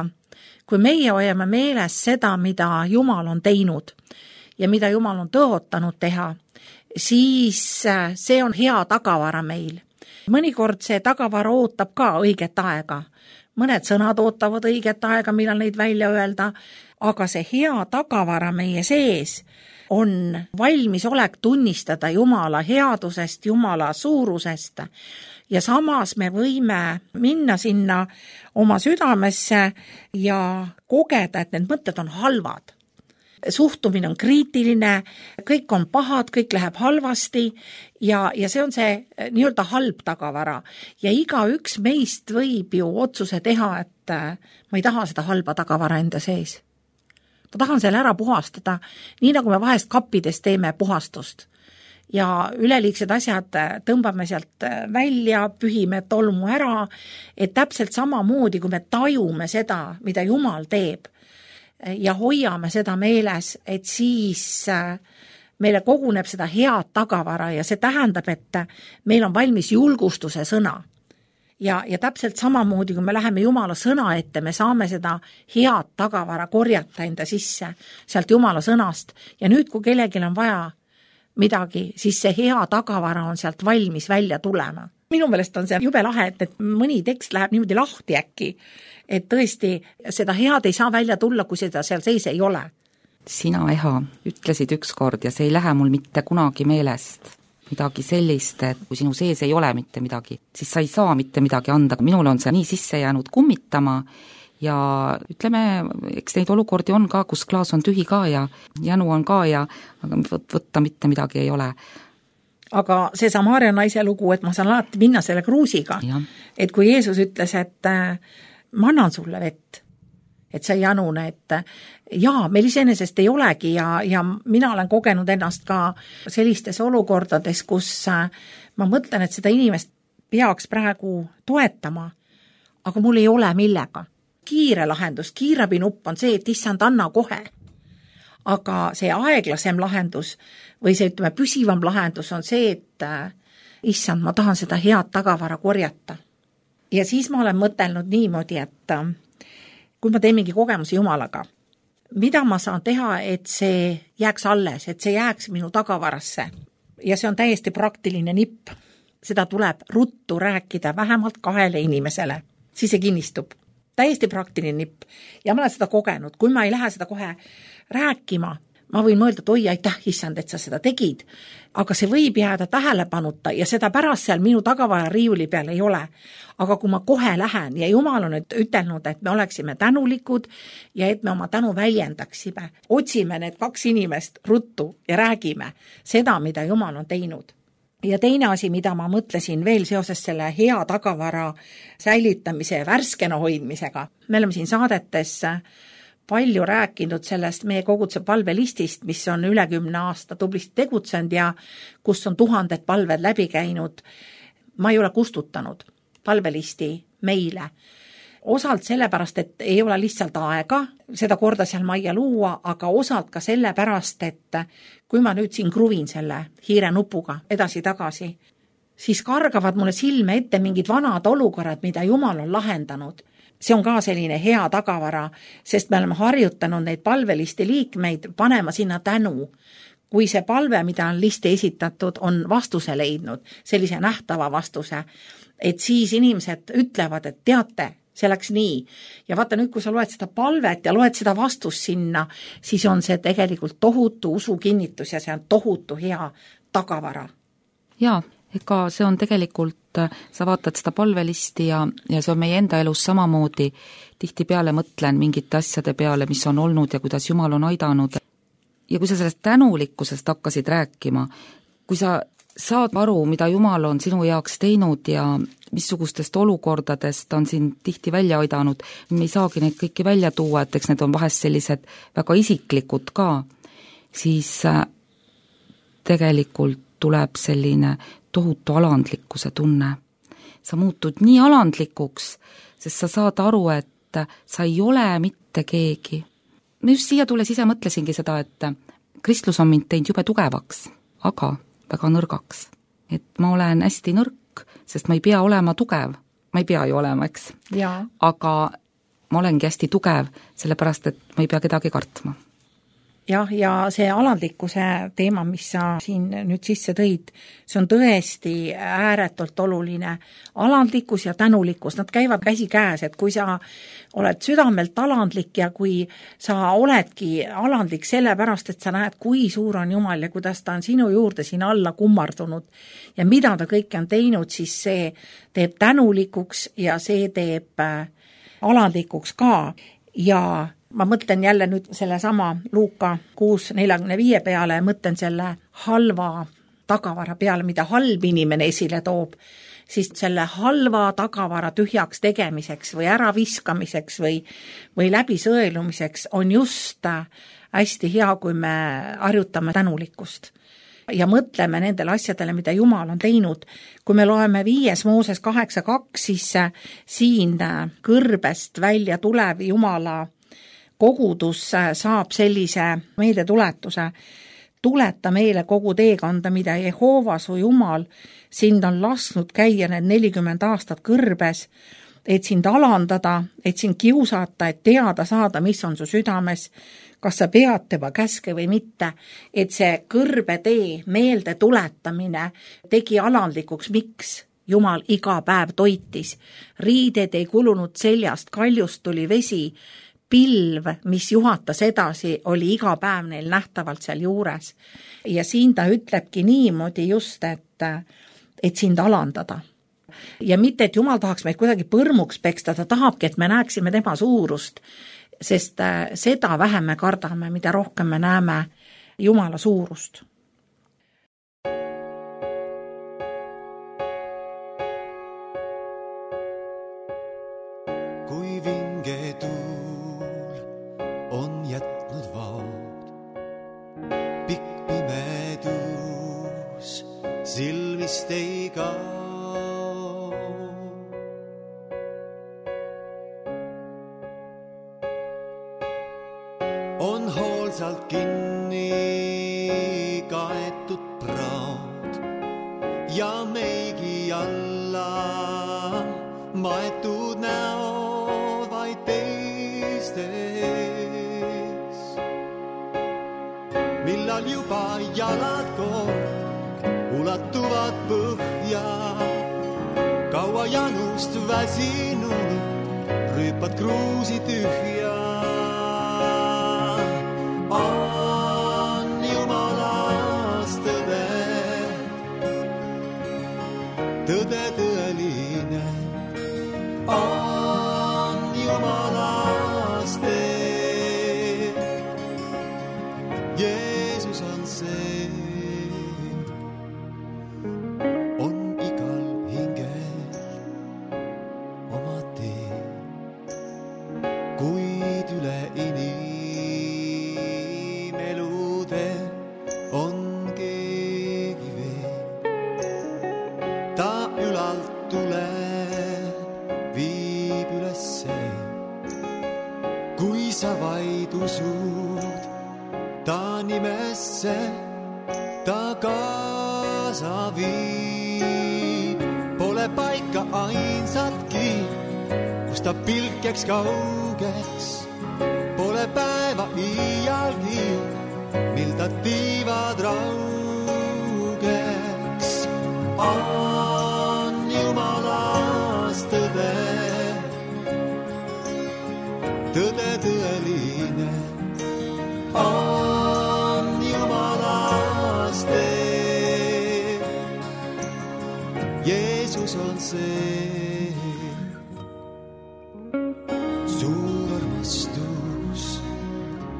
kui meie hoiame meeles seda, mida Jumal on teinud ja mida Jumal on tõotanud teha, siis see on hea tagavara meil. Mõnikord see tagavara ootab ka õiget aega. Mõned sõnad ootavad õiget aega, millal neid välja öelda, aga see hea tagavara meie sees on valmisolek tunnistada Jumala headusest, Jumala suurusest ja samas me võime minna sinna oma südamesse ja kogeda, et need mõtted on halvad. Suhtumine on kriitiline, kõik on pahad, kõik läheb halvasti ja see on see nii-öelda halb tagavara. Ja igaüks meist võib ju otsuse teha, et ma ei taha seda halba tagavara enda sees. Ma tahan selle ära puhastada, nii nagu me vahest kappides teeme puhastust. Ja üleliigsed asjad tõmbame sealt välja, pühime tolmu ära, et täpselt samamoodi, kui me tajume seda, mida Jumal teeb, ja hoiame seda meeles, et siis meile koguneb seda head tagavara ja see tähendab, et meil on valmis julgustuse sõna. Ja täpselt samamoodi, kui me läheme Jumala sõna ette, me saame seda head tagavara korjata enda sisse sealt Jumala sõnast. Ja nüüd, kui kellelgi on vaja midagi, siis see hea tagavara on sealt valmis välja tulema. Minu meelest on see jube lahe, et mõni tekst läheb niimoodi lahti äkki, et tõesti seda head ei saa välja tulla, kui seda seal sees ei ole. Sina, Eha, ütlesid ükskord ja see ei lähe mul mitte kunagi meelest midagi sellist, et kui sinu sees ei ole mitte midagi, siis sa ei saa mitte midagi anda. Minul on see nii sisse jäänud kummitama ja ütleme, eks neid olukordi on ka, kus klaas on tühi ka ja jänu on ka ja aga võtta mitte midagi ei ole. Aga see Samaaria naise lugu, et ma saan alati minna selle kruusiga, et kui Jeesus ütles, et ma annan sulle vett, et sa ei janune, et jaa, meil iseenesest ei olegi ja mina olen kogenud ennast ka sellistes olukordades, kus ma mõtlen, et seda inimest peaks praegu toetama, aga mul ei ole millega. Kiire lahendus, kiirabinupp on see, et issand anna kohe. Aga see aeglasem lahendus või see ütleme püsivam lahendus on see, et issand, ma tahan seda head tagavara korjata. Ja siis ma olen mõtelnud niimoodi, et kui ma teen mingi kogemusi Jumalaga, mida ma saan teha, et see jääks alles, et see jääks minu tagavarasse. Ja see on täiesti praktiline nipp. Seda tuleb ruttu rääkida vähemalt 2 inimesele. Siis see kinnistub. Täiesti praktiline nipp. Ja ma olen seda kogenud. Kui ma ei lähe seda kohe rääkima, ma võin mõelda, et oi, aitäh, issand, et sa seda tegid. Aga see võib jääda tähelepanuta ja seda pärast seal minu tagavara riiuli peal ei ole. Aga kui ma kohe lähen ja Jumal on ütelnud, et me oleksime tänulikud ja et me oma tänu väljendaksime, otsime need 2 inimest ruttu ja räägime seda, mida Jumal on teinud. Ja teine asi, mida ma mõtlesin veel seoses selle hea tagavara säilitamise ja värskena hoidmisega. Me oleme siin saadetes palju rääkinud sellest meie koguduse palvelistist, mis on üle 10 aasta tublisti tegutsenud ja kus on 1000 palved läbi käinud. Ma ei ole kustutanud palvelisti meile. Osalt sellepärast, et ei ole lihtsalt aega seda korda seal majja luua, aga osalt ka sellepärast, et kui ma nüüd siin kruvin selle hiire nupuga edasi-tagasi, siis kargavad mulle silme ette mingid vanad olukorrad, mida Jumal on lahendanud. See on ka selline hea tagavara, sest me oleme harjutanud neid palvelisti liikmeid panema sinna tänu. Kui see palve, mida on listi esitatud, on vastuse leidnud, sellise nähtava vastuse, et siis inimesed ütlevad, et teate, see läks nii. Ja vaata nüüd, kui sa loed seda palvet ja loed seda vastust sinna, siis on see tegelikult tohutu usukinnitus ja see on tohutu hea tagavara. Jaa, ega see on tegelikult, sa vaatad seda palvelisti ja see on meie enda elus samamoodi. Tihtipeale mõtlen mingite asjade peale, mis on olnud ja kuidas Jumal on aidanud. Ja kui sa sellest tänulikkusest hakkasid rääkima, kui sa saad aru, mida Jumal on sinu jaoks teinud ja missugustest olukordadest on siin tihti välja aidanud, me ei saagi neid kõiki välja tuua, et eks need on vahest sellised väga isiklikud ka, siis tegelikult tuleb selline tohutu alandlikkuse tunne. Sa muutud nii alandlikuks, sest sa saad aru, et sa ei ole mitte keegi. Ma just siia tulles ise mõtlesingi seda, et kristlus on mind teinud jube tugevaks, aga väga nõrgaks. Et ma olen hästi nõrk, sest ma ei pea olema tugev. Ma ei pea ju olema, eks? Jaa. Aga ma olengi hästi tugev, sellepärast, et ma ei pea kedagi kartma. Jah, ja see alandlikkuse teema, mis sa siin nüüd sisse tõid, see on tõesti ääretult oluline. Alandlikkus ja tänulikkus, nad käivad käsi käes, et kui sa oled südamelt alandlik ja kui sa oledki alandlik sellepärast, et sa näed, kui suur on Jumal ja kuidas ta on sinu juurde siin alla kummardunud ja mida ta kõike on teinud, siis see teeb tänulikuks ja see teeb alandlikuks ka ja ma mõtlen jälle nüüd selle sama Luuka 6:45 peale ja mõtlen selle halva tagavara peale, mida halb inimene esile toob, siis selle halva tagavara tühjaks tegemiseks või äraviskamiseks või läbisõelumiseks on just hästi hea, kui me harjutame tänulikkust ja mõtleme nendele asjadele, mida Jumal on teinud. Kui me loeme 5 Mooses 8:2, siis siin kõrbest välja tulev Jumala kogudus saab sellise meeldetuletuse. Tuleta meile kogu teekanda, mida Jehova su Jumal sind on lasknud käia need 40 aastat kõrbes, et sind alandada, et sind kiusata, et teada saada, mis on su südames, kas sa pead tema käske või mitte, et see kõrbetee meelde tuletamine tegi alandlikuks, miks Jumal iga päev toitis. Riided ei kulunud seljast, kaljust tuli vesi, pilv, mis juhatas edasi, oli iga päev neil nähtavalt seal juures. Ja siin ta ütlebki niimoodi just, et sind alandada. Ja mitte, et Jumal tahaks meid kuidagi põrmuks peksta, ta tahabki, et me näeksime tema suurust, sest seda vähem me kardame, mida rohkem me näeme Jumala suurust. Kui vinge tuul on jätnud vaod, pikk pimedus silmist ei kao. On hoolsalt kinni kaetud praad ja meigi alla maetud näod vaid teistes. Millal juba jalad kord ulatuvad põhja, kaua janust väsinud rüüpad kruusi tühja. On Jumalast tõde, tõde tõeline. On Jumalast tee, Jeesus on see. On igal hingel oma tee, kuid üle inimelude on keegi veel. Ta ülalt tuleb, viib ülesse, kui sa vaid usud ta nimesse, ta kaasa viib. Pole paika ainsatki, kus ta pilk jääks kaugeks. Pole päeva iialgi, mil ta tiivad raugeks. On Jumalast tõde, tõde tõeline. On Jumalast tee,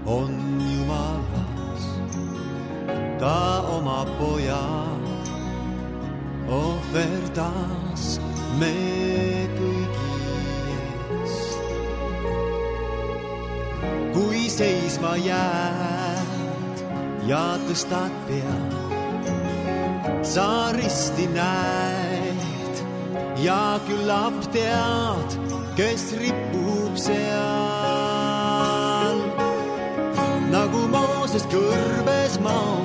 on Jumalas, ta oma poja ohverdas me kõigi eest. Kui seisma jääd ja tõstad pead, sa risti näed ja küllap tead, kes ripub seal. Nagu Mooses kõrbes maa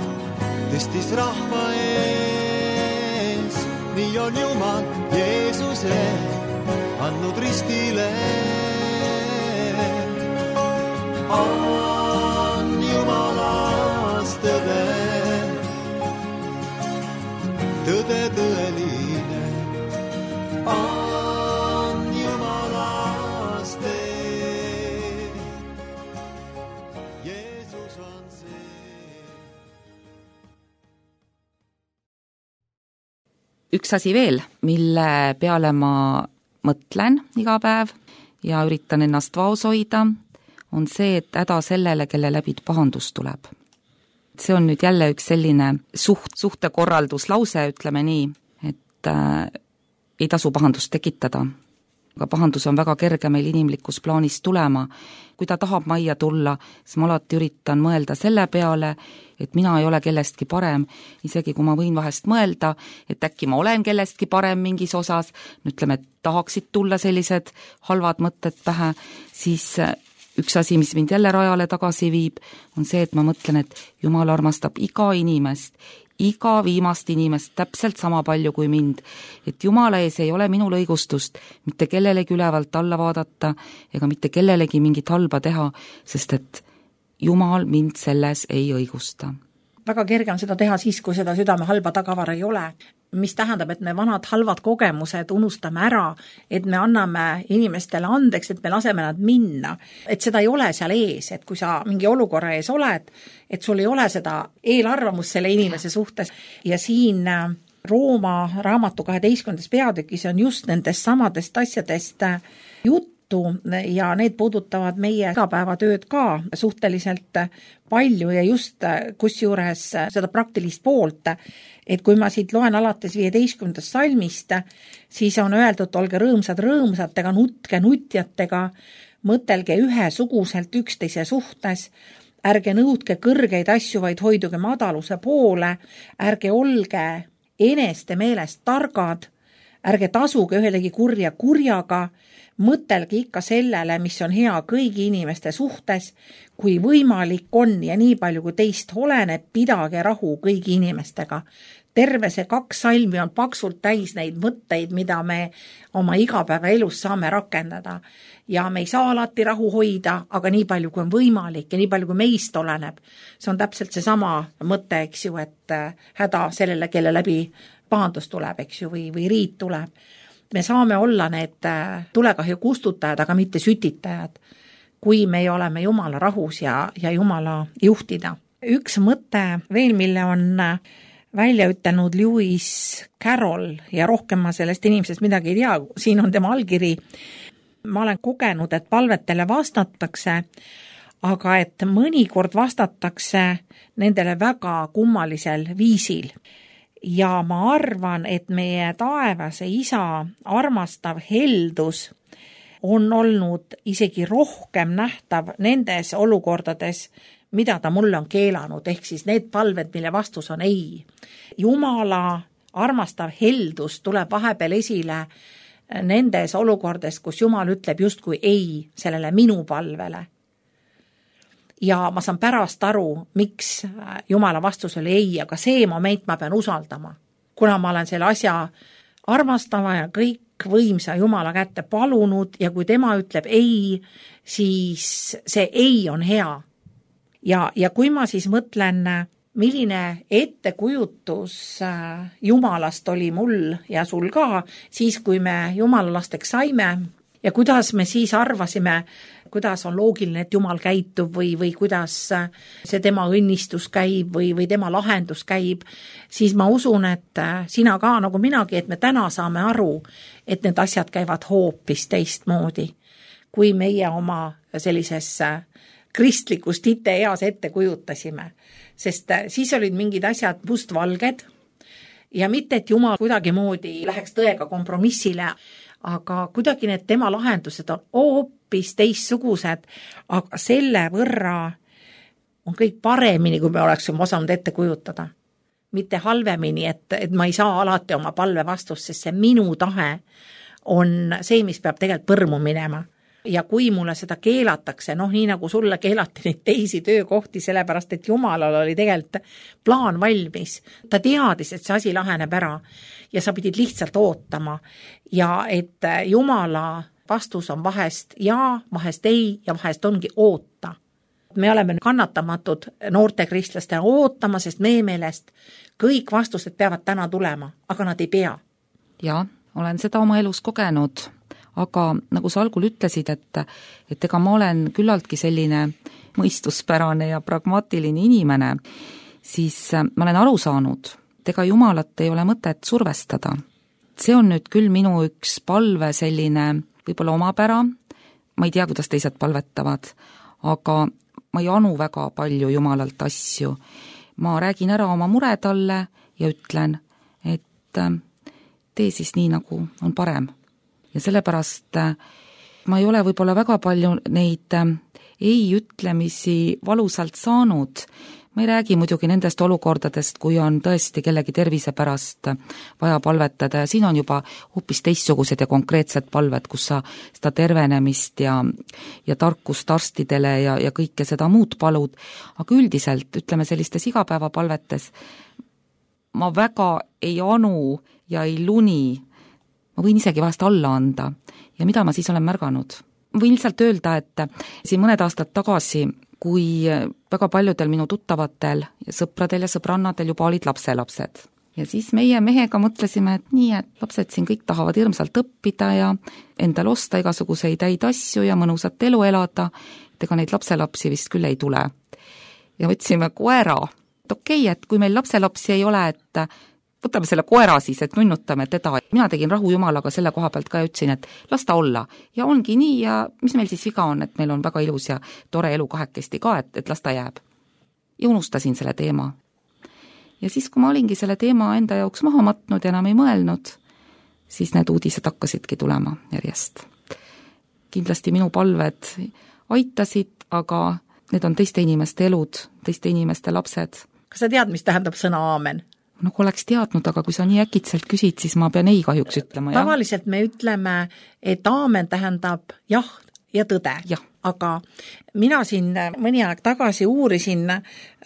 tõstis rahva ees, nii on Jumal Jeesuse andnud ristile. On Jumalas tõde, tõde tõeline, on Jumalas tee, Jeesus on see. Üks asi veel, mille peale ma mõtlen iga päev ja üritan ennast vaos hoida, on see, et häda sellele, kelle läbi pahandus tuleb. See on nüüd jälle üks selline suhtekorralduslause, ütleme nii, et ei tasu pahandust tekitada. Aga pahandus on väga kerge meil inimlikus plaanis tulema. Kui ta tahab majja tulla, siis ma alati üritan mõelda selle peale, et mina ei ole kellestki parem, isegi kui ma võin vahest mõelda, et äkki ma olen kellestki parem mingis osas, ütleme, et tahaksid tulla sellised halvad mõtted pähe, siis üks asi, mis mind jälle rajale tagasi viib, on see, et ma mõtlen, et Jumal armastab iga inimest, iga viimast inimest täpselt sama palju kui mind, et Jumala ees ei ole minul õigustust mitte kellelegi ülevalt alla vaadata ega mitte kellelegi mingit halba teha, sest et Jumal mind selles ei õigusta. Väga kerge on seda teha siis, kui seda südame halba tagavara ei ole, mis tähendab, et me vanad halvad kogemused unustame ära, et me anname inimestele andeks, et me laseme nad minna, et seda ei ole seal ees, et kui sa mingi olukorra ees oled, et sul ei ole seda eelarvamust selle inimese suhtes ja siin Rooma raamatu 12. peatükis on just nendest samadest asjadest juttu ja need puudutavad meie igapäevatööd ka suhteliselt palju ja just kusjuures seda praktilist poolt, et kui ma siit loen alates 15. salmist, siis on öeldud, olge rõõmsad rõõmsatega, nutke nutjatega, mõtelge ühesuguselt üksteise suhtes, ärge nõudke kõrgeid asju, vaid hoiduge madaluse poole, ärge olge eneste meelest targad, ärge tasuge ühelegi kurja kurjaga, mõtelge ikka sellele, mis on hea kõigi inimeste suhtes, kui võimalik on ja nii palju kui teist oleneb, pidage rahu kõigi inimestega. Terve see 2 salmi on paksult täis neid mõtteid, mida me oma igapäevaelus saame rakendada. Ja me ei saa alati rahu hoida, aga nii palju kui on võimalik ja nii palju kui meist oleneb. See on täpselt see sama mõte, eks ju, et häda sellele, kelle läbi pahandus tuleb, eks ju, või riit tuleb. Me saame olla need tulekahju kustutajad, aga mitte sütitajad, kui me oleme Jumala rahus ja Jumala juhtida. Üks mõte veel, mille on välja ütelnud Lewis Carroll ja rohkem ma sellest inimesest midagi ei tea, siin on tema allkiri. Ma olen kogenud, et palvetele vastatakse, aga et mõnikord vastatakse nendele väga kummalisel viisil. Ja ma arvan, et meie taevase isa armastav heldus on olnud isegi rohkem nähtav nendes olukordades, mida ta mulle on keelanud, ehk siis need palved, mille vastus on ei. Jumala armastav heldus tuleb vahepeal esile nendes olukordades, kus Jumal ütleb justkui ei sellele minu palvele. Ja ma saan pärast aru, miks Jumala vastus oli ei, aga see moment ma pean usaldama. Kuna ma olen selle asja armastava ja kõik võimsa Jumala kätte palunud ja kui tema ütleb ei, siis see ei on hea. Ja kui ma siis mõtlen, milline ettekujutus Jumalast oli mul ja sul ka, siis kui me Jumala lasteks saime ja kuidas me siis arvasime, kuidas on loogiline, et Jumal käitub või kuidas see tema õnnistus käib või tema lahendus käib, siis ma usun, et sina ka nagu minagi, et me täna saame aru, et need asjad käivad hoopis teistmoodi, kui meie oma sellises kristlikust eas ette kujutasime, sest siis olid mingid asjad mustvalged ja mitte, et Jumal kuidagimoodi läheks tõega kompromissile, aga kuidagi need tema lahendused on hoopis teistsugused, aga selle võrra on kõik paremini, kui me oleksime osanud ette kujutada. Mitte halvemini, et ma ei saa alati oma palve vastust, sest see minu tahe on see, mis peab tegelikult põrmu minema. Ja kui mulle seda keelatakse, nii nagu sulle keelati neid teisi töökohti, sellepärast, et Jumalal oli tegelikult plaan valmis. Ta teadis, et see asi laheneb ära ja sa pidid lihtsalt ootama. Ja et Jumala vastus on vahest ja, vahest ei ja vahest ongi oota. Me oleme kannatamatud noorte kristlaste ootama, sest meie meelest kõik vastused peavad täna tulema, aga nad ei pea. Jaa, olen seda oma elus kogenud, aga nagu sa algul ütlesid, et ega ma olen küllaltki selline mõistuspärane ja pragmaatiline inimene, siis ma olen aru saanud, et ega Jumalat ei ole mõtet survestada. See on nüüd küll minu üks palve selline võib-olla omapära, ma ei tea, kuidas teised palvetavad, aga ma ei anu väga palju Jumalalt asju. Ma räägin ära oma mure talle ja ütlen, et tee siis nii, nagu on parem. Ja sellepärast ma ei ole võib-olla väga palju neid ei-ütlemisi valusalt saanud. Ma ei räägi muidugi nendest olukordadest, kui on tõesti kellegi tervise pärast vaja palvetada ja siin on juba hoopis teistsugused ja konkreetsed palved, kus sa seda tervenemist ja tarkust arstidele ja kõike seda muud palud. Aga üldiselt, ütleme sellistes igapäevapalvetes, ma väga ei anu ja ei luni, ma võin isegi vahest alla anda. Ja mida ma siis olen märganud? Võin lihtsalt öelda, et siin mõned aastad tagasi, kui väga paljudel minu tuttavatel, sõpradel ja sõbrannadel juba olid lapselapsed. Ja siis meie mehega mõtlesime, et nii, et lapsed siin kõik tahavad hirmsalt õppida ja endal osta igasuguseid häid asju ja mõnusat elu elada, et ega neid lapselapsi vist küll ei tule. Ja võtsime koera. Et okei, et kui meil lapselapsi ei ole, et võtame selle koera siis, et nunnutame teda. Mina tegin rahu Jumalaga selle koha pealt ka ja ütlesin, et las ta olla. Ja ongi nii ja mis meil siis viga on, et meil on väga ilus ja tore elu kahekesti ka, et las ta jääb. Ja unustasin selle teema. Ja siis, kui ma olingi selle teema enda jaoks maha matnud ja enam ei mõelnud, siis need uudised hakkasidki tulema järjest. Kindlasti minu palved aitasid, aga need on teiste inimeste elud, teiste inimeste lapsed. Kas sa tead, mis tähendab sõna aamen? Nagu oleks teadnud, aga kui sa nii äkitselt küsid, siis ma pean ei kahjuks ütlema. Tavaliselt me ütleme, et aamen tähendab jah ja tõde. Ja. Aga mina siin mõni aeg tagasi uurisin,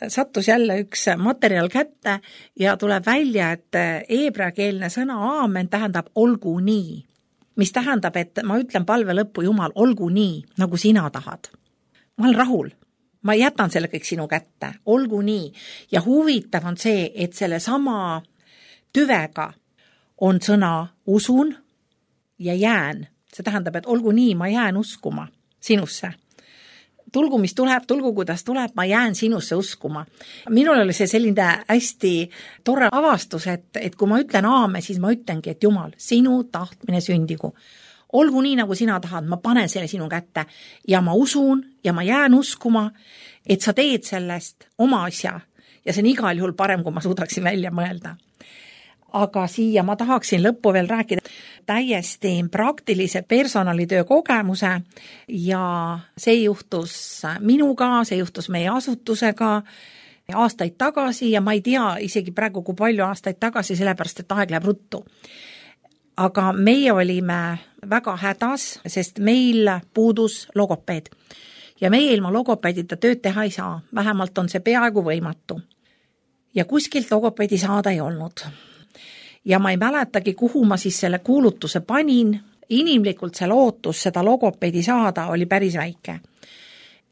sattus jälle üks materjal kätte ja tuleb välja, et heebreakeelne sõna aamen tähendab olgu nii. Mis tähendab, et ma ütlen palve lõppu, Jumal, olgu nii, nagu sina tahad. Ma olen rahul. Ma jätan selle kõik sinu kätte, olgu nii. Ja huvitav on see, et selle sama tüvega on sõna usun ja jään. See tähendab, et olgu nii, ma jään uskuma sinusse. Tulgu, mis tuleb, tulgu, kuidas tuleb, ma jään sinusse uskuma. Minul oli see selline hästi tore avastus, et kui ma ütlen aame, siis ma ütlengi, et Jumal, sinu tahtmine sündigu. Olgu nii, nagu sina tahad, ma panen selle sinu kätte ja ma usun ja ma jään uskuma, et sa teed sellest oma asja ja see on igal juhul parem, kui ma suudaksin välja mõelda. Aga siia ma tahaksin lõppu veel rääkida täiesti praktilise personalitöö kogemuse ja see juhtus minuga, see juhtus meie asutusega aastaid tagasi ja ma ei tea isegi praegu, kui palju aastaid tagasi, sellepärast, et aeg läheb ruttu. Aga meie olime väga hädas, sest meil puudus logopeed. Ja meie ilma logopeedita tööd teha ei saa. Vähemalt on see peaaegu võimatu. Ja kuskilt logopeedi saada ei olnud. Ja ma ei mäletagi, kuhu ma siis selle kuulutuse panin. Inimlikult see lootus seda logopeedi saada oli päris väike.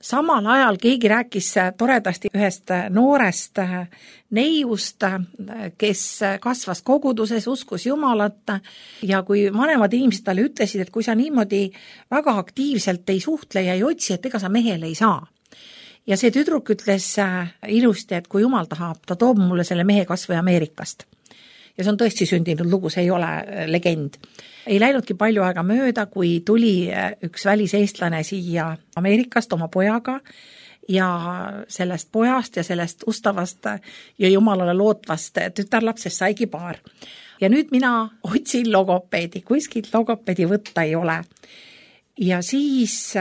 Samal ajal keegi rääkis toredasti ühest noorest neiust, kes kasvas koguduses, uskus Jumalat ja kui vanemad inimesed talle ütlesid, et kui sa niimoodi väga aktiivselt ei suhtle ja ei otsi, et ega sa mehele ei saa. Ja see tüdruk ütles ilusti, et kui Jumal tahab, ta toob mulle selle mehe kas või Ameerikast. Ja see on tõesti sündinud lugu, see ei ole legend. Ei läinudki palju aega mööda, kui tuli üks väliseestlane siia Ameerikast oma pojaga ja sellest pojast ja sellest ustavast ja jumalale lootvast tütarlapsest saigi paar. Ja nüüd mina otsin logopeedi, kuskilt logopeedi võtta ei ole. Ja siis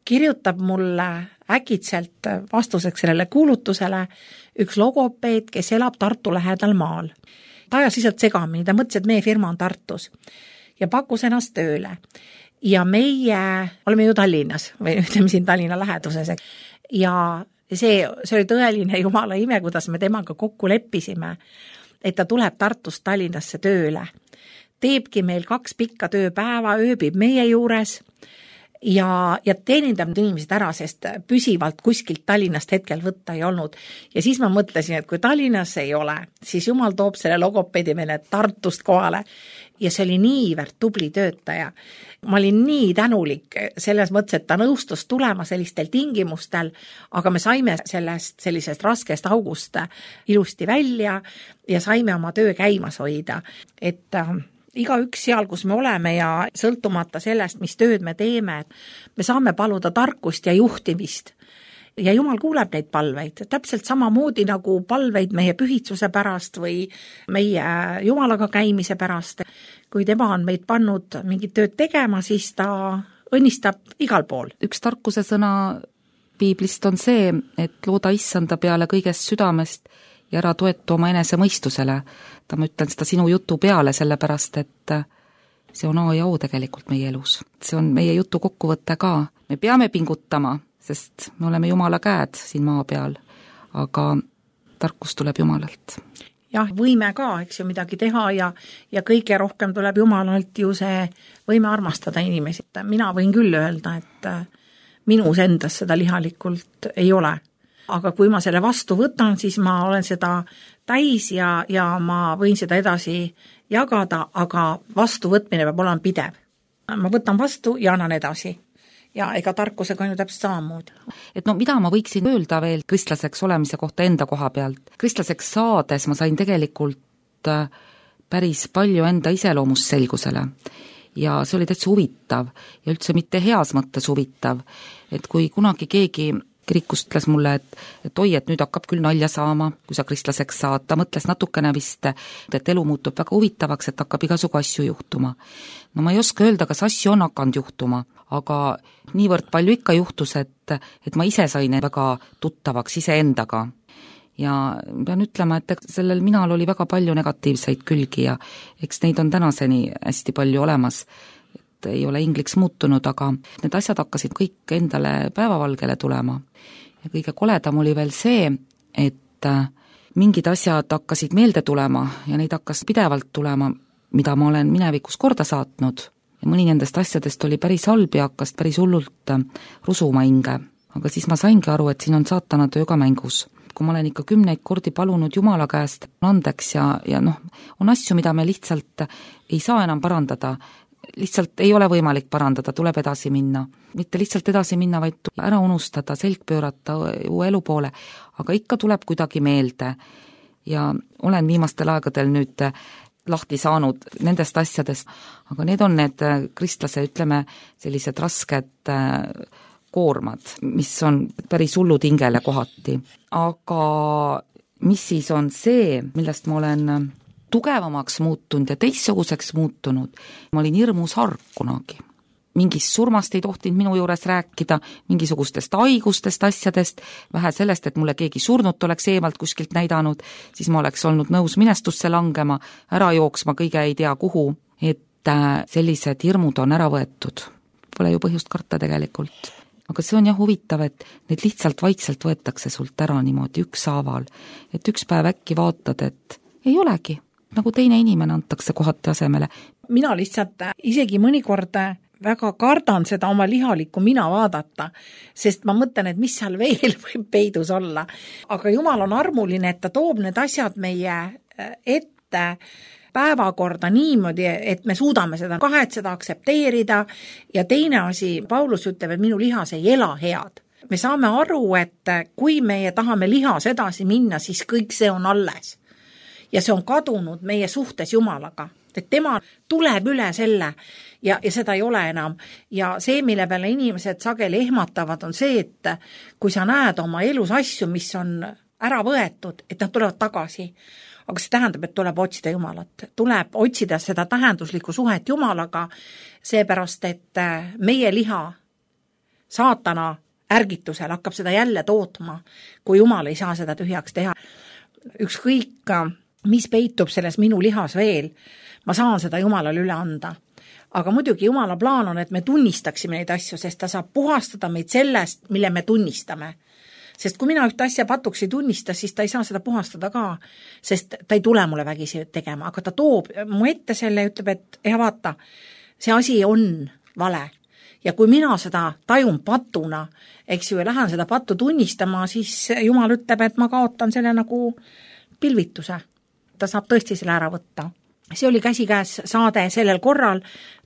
kirjutab mulle äkitselt vastuseks sellele kuulutusele üks logopeed, kes elab Tartu lähedal maal. Ta ajas lihtsalt segamini, ta mõtles, et meie firma on Tartus ja pakkus ennast tööle. Ja meie oleme ju Tallinnas või ütleme siin Tallinna läheduses. Ja see oli tõeline jumala ime, kuidas me temaga kokku leppisime, et ta tuleb Tartust Tallinnasse tööle. Teebki meil 2 pikka tööpäeva, ööbib meie juures ja teenindab inimesed ära, sest püsivalt kuskilt Tallinnast hetkel võtta ei olnud. Ja siis ma mõtlesin, et kui Tallinnas ei ole, siis jumal toob selle logopeedi meile Tartust kohale. Ja see oli niivõrd tubli töötaja. Ma olin nii tänulik selles mõttes, et ta nõustus tulema sellistel tingimustel, aga me saime sellisest raskest august ilusti välja ja saime oma töö käimas hoida. Et igaüks seal, kus me oleme ja sõltumata sellest, mis tööd me teeme, me saame paluda tarkust ja juhtimist. Ja jumal kuuleb neid palveid, täpselt samamoodi nagu palveid meie pühitsuse pärast või meie jumalaga käimise pärast. Kui tema on meid pannud mingit tööd tegema, siis ta õnnistab igal pool. Üks tarkuse sõna piiblist on see, et looda issanda peale kõigest südamest ja ära toetu oma enese mõistusele. Ma ütlen seda sinu jutu peale, sellepärast, et see on A ja O tegelikult meie elus. See on meie jutu kokkuvõte ka. Me peame pingutama, sest me oleme Jumala käed siin maa peal, aga tarkus tuleb Jumalalt. Jah, võime ka, eks ju, midagi teha ja kõige rohkem tuleb Jumalalt ju see võime armastada inimesi. Mina võin küll öelda, et minus endas seda lihalikult ei ole. Aga kui ma selle vastu võtan, siis ma olen seda täis ja ma võin seda edasi jagada, aga vastuvõtmine peab olema pidev. Ma võtan vastu ja annan edasi. Ja ega tarkusega on ju täpselt samamoodi. Et mida ma võiksin öelda veel kristlaseks olemise kohta enda koha pealt? Kristlaseks saades ma sain tegelikult päris palju enda iseloomust selgusele. Ja see oli täitsa huvitav ja üldse mitte heas mõttes huvitav. Et kui kunagi keegi kirikust ütles mulle, et oi, et nüüd hakkab küll nalja saama, kui sa kristlaseks saad. Ta mõtles natukene vist, et elu muutub väga huvitavaks, et hakkab igasugu asju juhtuma. No ma ei oska öelda, kas asju on hakanud juhtuma, aga niivõrd palju ikka juhtus, et ma ise sain väga tuttavaks iseendaga. Ja pean ütlema, et sellel minal oli väga palju negatiivseid külgi ja eks neid on tänaseni hästi palju olemas. Ei ole ingliks muutunud, aga need asjad hakkasid kõik endale päevavalgele tulema. Ja kõige koledam oli veel see, et mingid asjad hakkasid meelde tulema ja neid hakkas pidevalt tulema, mida ma olen minevikus korda saatnud. Ja mõni nendest asjadest oli päris halb ja hakkas päris hullult rusuma hinge. Aga siis ma saingi aru, et siin on saatana töö ka mängus. Kui ma olen ikka 10 kordi palunud Jumala käest andeks ja on asju, mida me lihtsalt ei saa enam parandada, lihtsalt ei ole võimalik parandada, tuleb edasi minna. Mitte lihtsalt edasi minna, vaid ära unustada, selg pöörata uue elu poole, aga ikka tuleb kuidagi meelde. Ja olen viimastel aegadel nüüd lahti saanud nendest asjadest, aga need on need kristlase, ütleme, sellised rasked koormad, mis on päris hullud hingele kohati. Aga mis siis on see, millest ma olen tugevamaks muutunud ja teissuguseks muutunud. Ma olin hirmus hark kunagi. Mingist surmast ei tohtinud minu juures rääkida, mingisugustest haigustest, asjadest, vähe sellest, et mulle keegi surnut oleks eemalt kuskilt näidanud, siis ma oleks olnud nõus minestusse langema, ära jooksma kõige ei tea kuhu, et sellised hirmud on ära võetud. Pole ju põhjust karta tegelikult. Aga see on jah huvitav, et need lihtsalt vaikselt võetakse sult ära niimoodi ükshaaval, et üks päev äkki vaatad, et ei olegi. Nagu teine inimene antakse kohati asemele. Mina lihtsalt isegi mõnikord väga kardan seda oma lihalikku mina vaadata, sest ma mõtlen, et mis seal veel võib peidus olla. Aga Jumal on armuline, et ta toob need asjad meie ette päevakorda niimoodi, et me suudame seda kahetseda, aktsepteerida ja teine asi, Paulus ütleb, et minu lihas ei ela head. Me saame aru, et kui meie tahame lihas edasi minna, siis kõik see on alles. Ja see on kadunud meie suhtes Jumalaga, et tema tuleb üle selle ja seda ei ole enam. Ja see, mille peale inimesed sageli ehmatavad, on see, et kui sa näed oma elus asju, mis on ära võetud, et nad tulevad tagasi. Aga see tähendab, et tuleb otsida Jumalat. Tuleb otsida seda tähenduslikku suhet Jumalaga, seepärast, et meie liha saatana ärgitusel hakkab seda jälle tootma, kui Jumal ei saa seda tühjaks teha. Ükskõik, mis peitub selles minu lihas veel, ma saan seda Jumalale üle anda. Aga muidugi Jumala plaan on, et me tunnistaksime neid asju, sest ta saab puhastada meid sellest, mille me tunnistame. Sest kui mina ühte asja patuks ei tunnista, siis ta ei saa seda puhastada ka, sest ta ei tule mulle vägisi tegema, aga ta toob mu ette selle ja ütleb, et vaata, see asi on vale. Ja kui mina seda tajun patuna, eks ju, ja lähen seda pattu tunnistama, siis Jumal ütleb, et ma kaotan selle nagu pilvituse. Ta saab tõesti selle ära võtta. See oli Käsikäes saade sellel korral.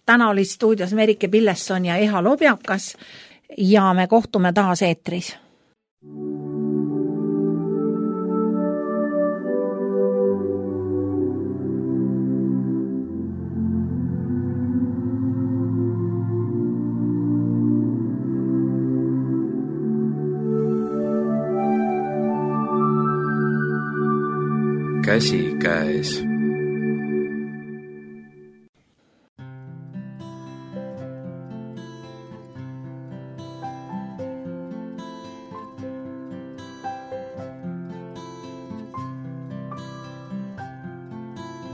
Täna oli stuudios Merike Pillesson ja Eha Lobjakas ja me kohtume taas eetris. Käsikäes.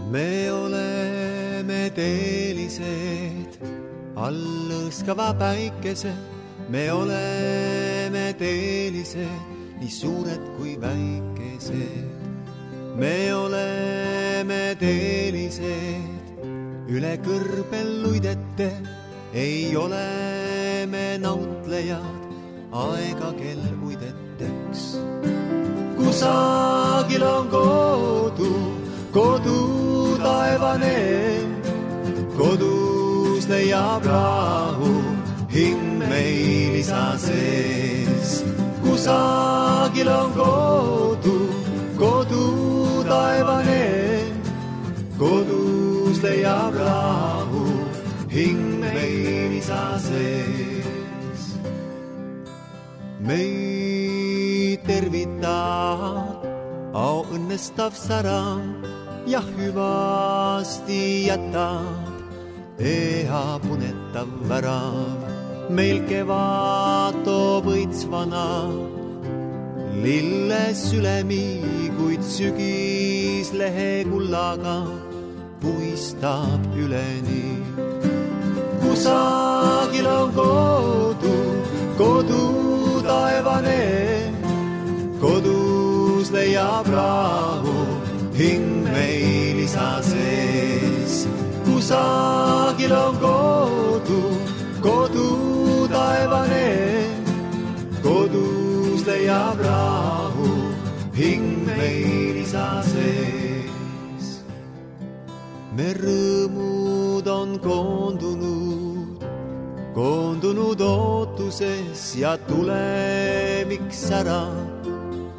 Me oleme teelised all lõõskava päikese. Me oleme teelised, nii suured kui väikesed. Me oleme teelised, üle kõrbel luidete, ei ole me nautlejad, aega kel uideteks. Kusagil on kodu taevane, kodus leiab rahu, hing meil isa sees. Kusagil on kodu taevane, kodus leiab rahu, hing meil isa sees. Meid tervitab au õnnestav sära ja hüvasti jätab eha punetav värav. Meil kevad toob õitsvana lilles ülemi, kuid sügis lehe kullaga puistab üleni. Kusagil on kodu taevane, kodus leiab rahu, hing meil isa sees. Kusagil on kodu taevane, kodus leiab rahu, hing meil isa sees. Me rõõmud on koondunud ootuses ja tulemiks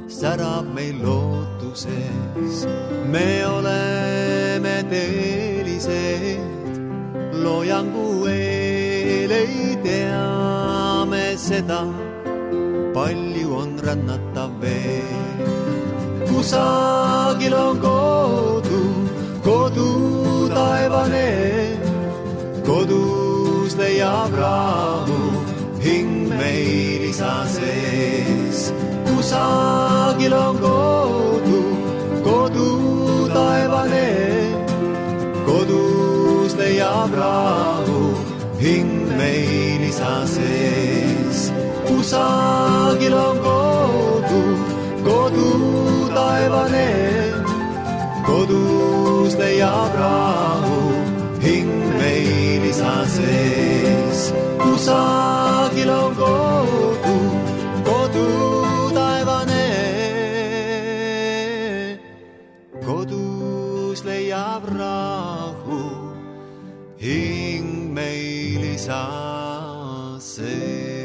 särab meil lootuses. Me oleme teelised, loojangu eel ei teame seda, palju on rännatav veel. Kusagil on kodu taevane, kodus leiab rahu, hing meil isa sees. Kusagil on kodu taevane, kodus leiab rahu, hing meil isa sees. Kusagil on kodu taevane, kodus leiab rahu, hing meil isa sees. Kusagil on kodu taevane, kodus leiab rahu, hing meil isa sees.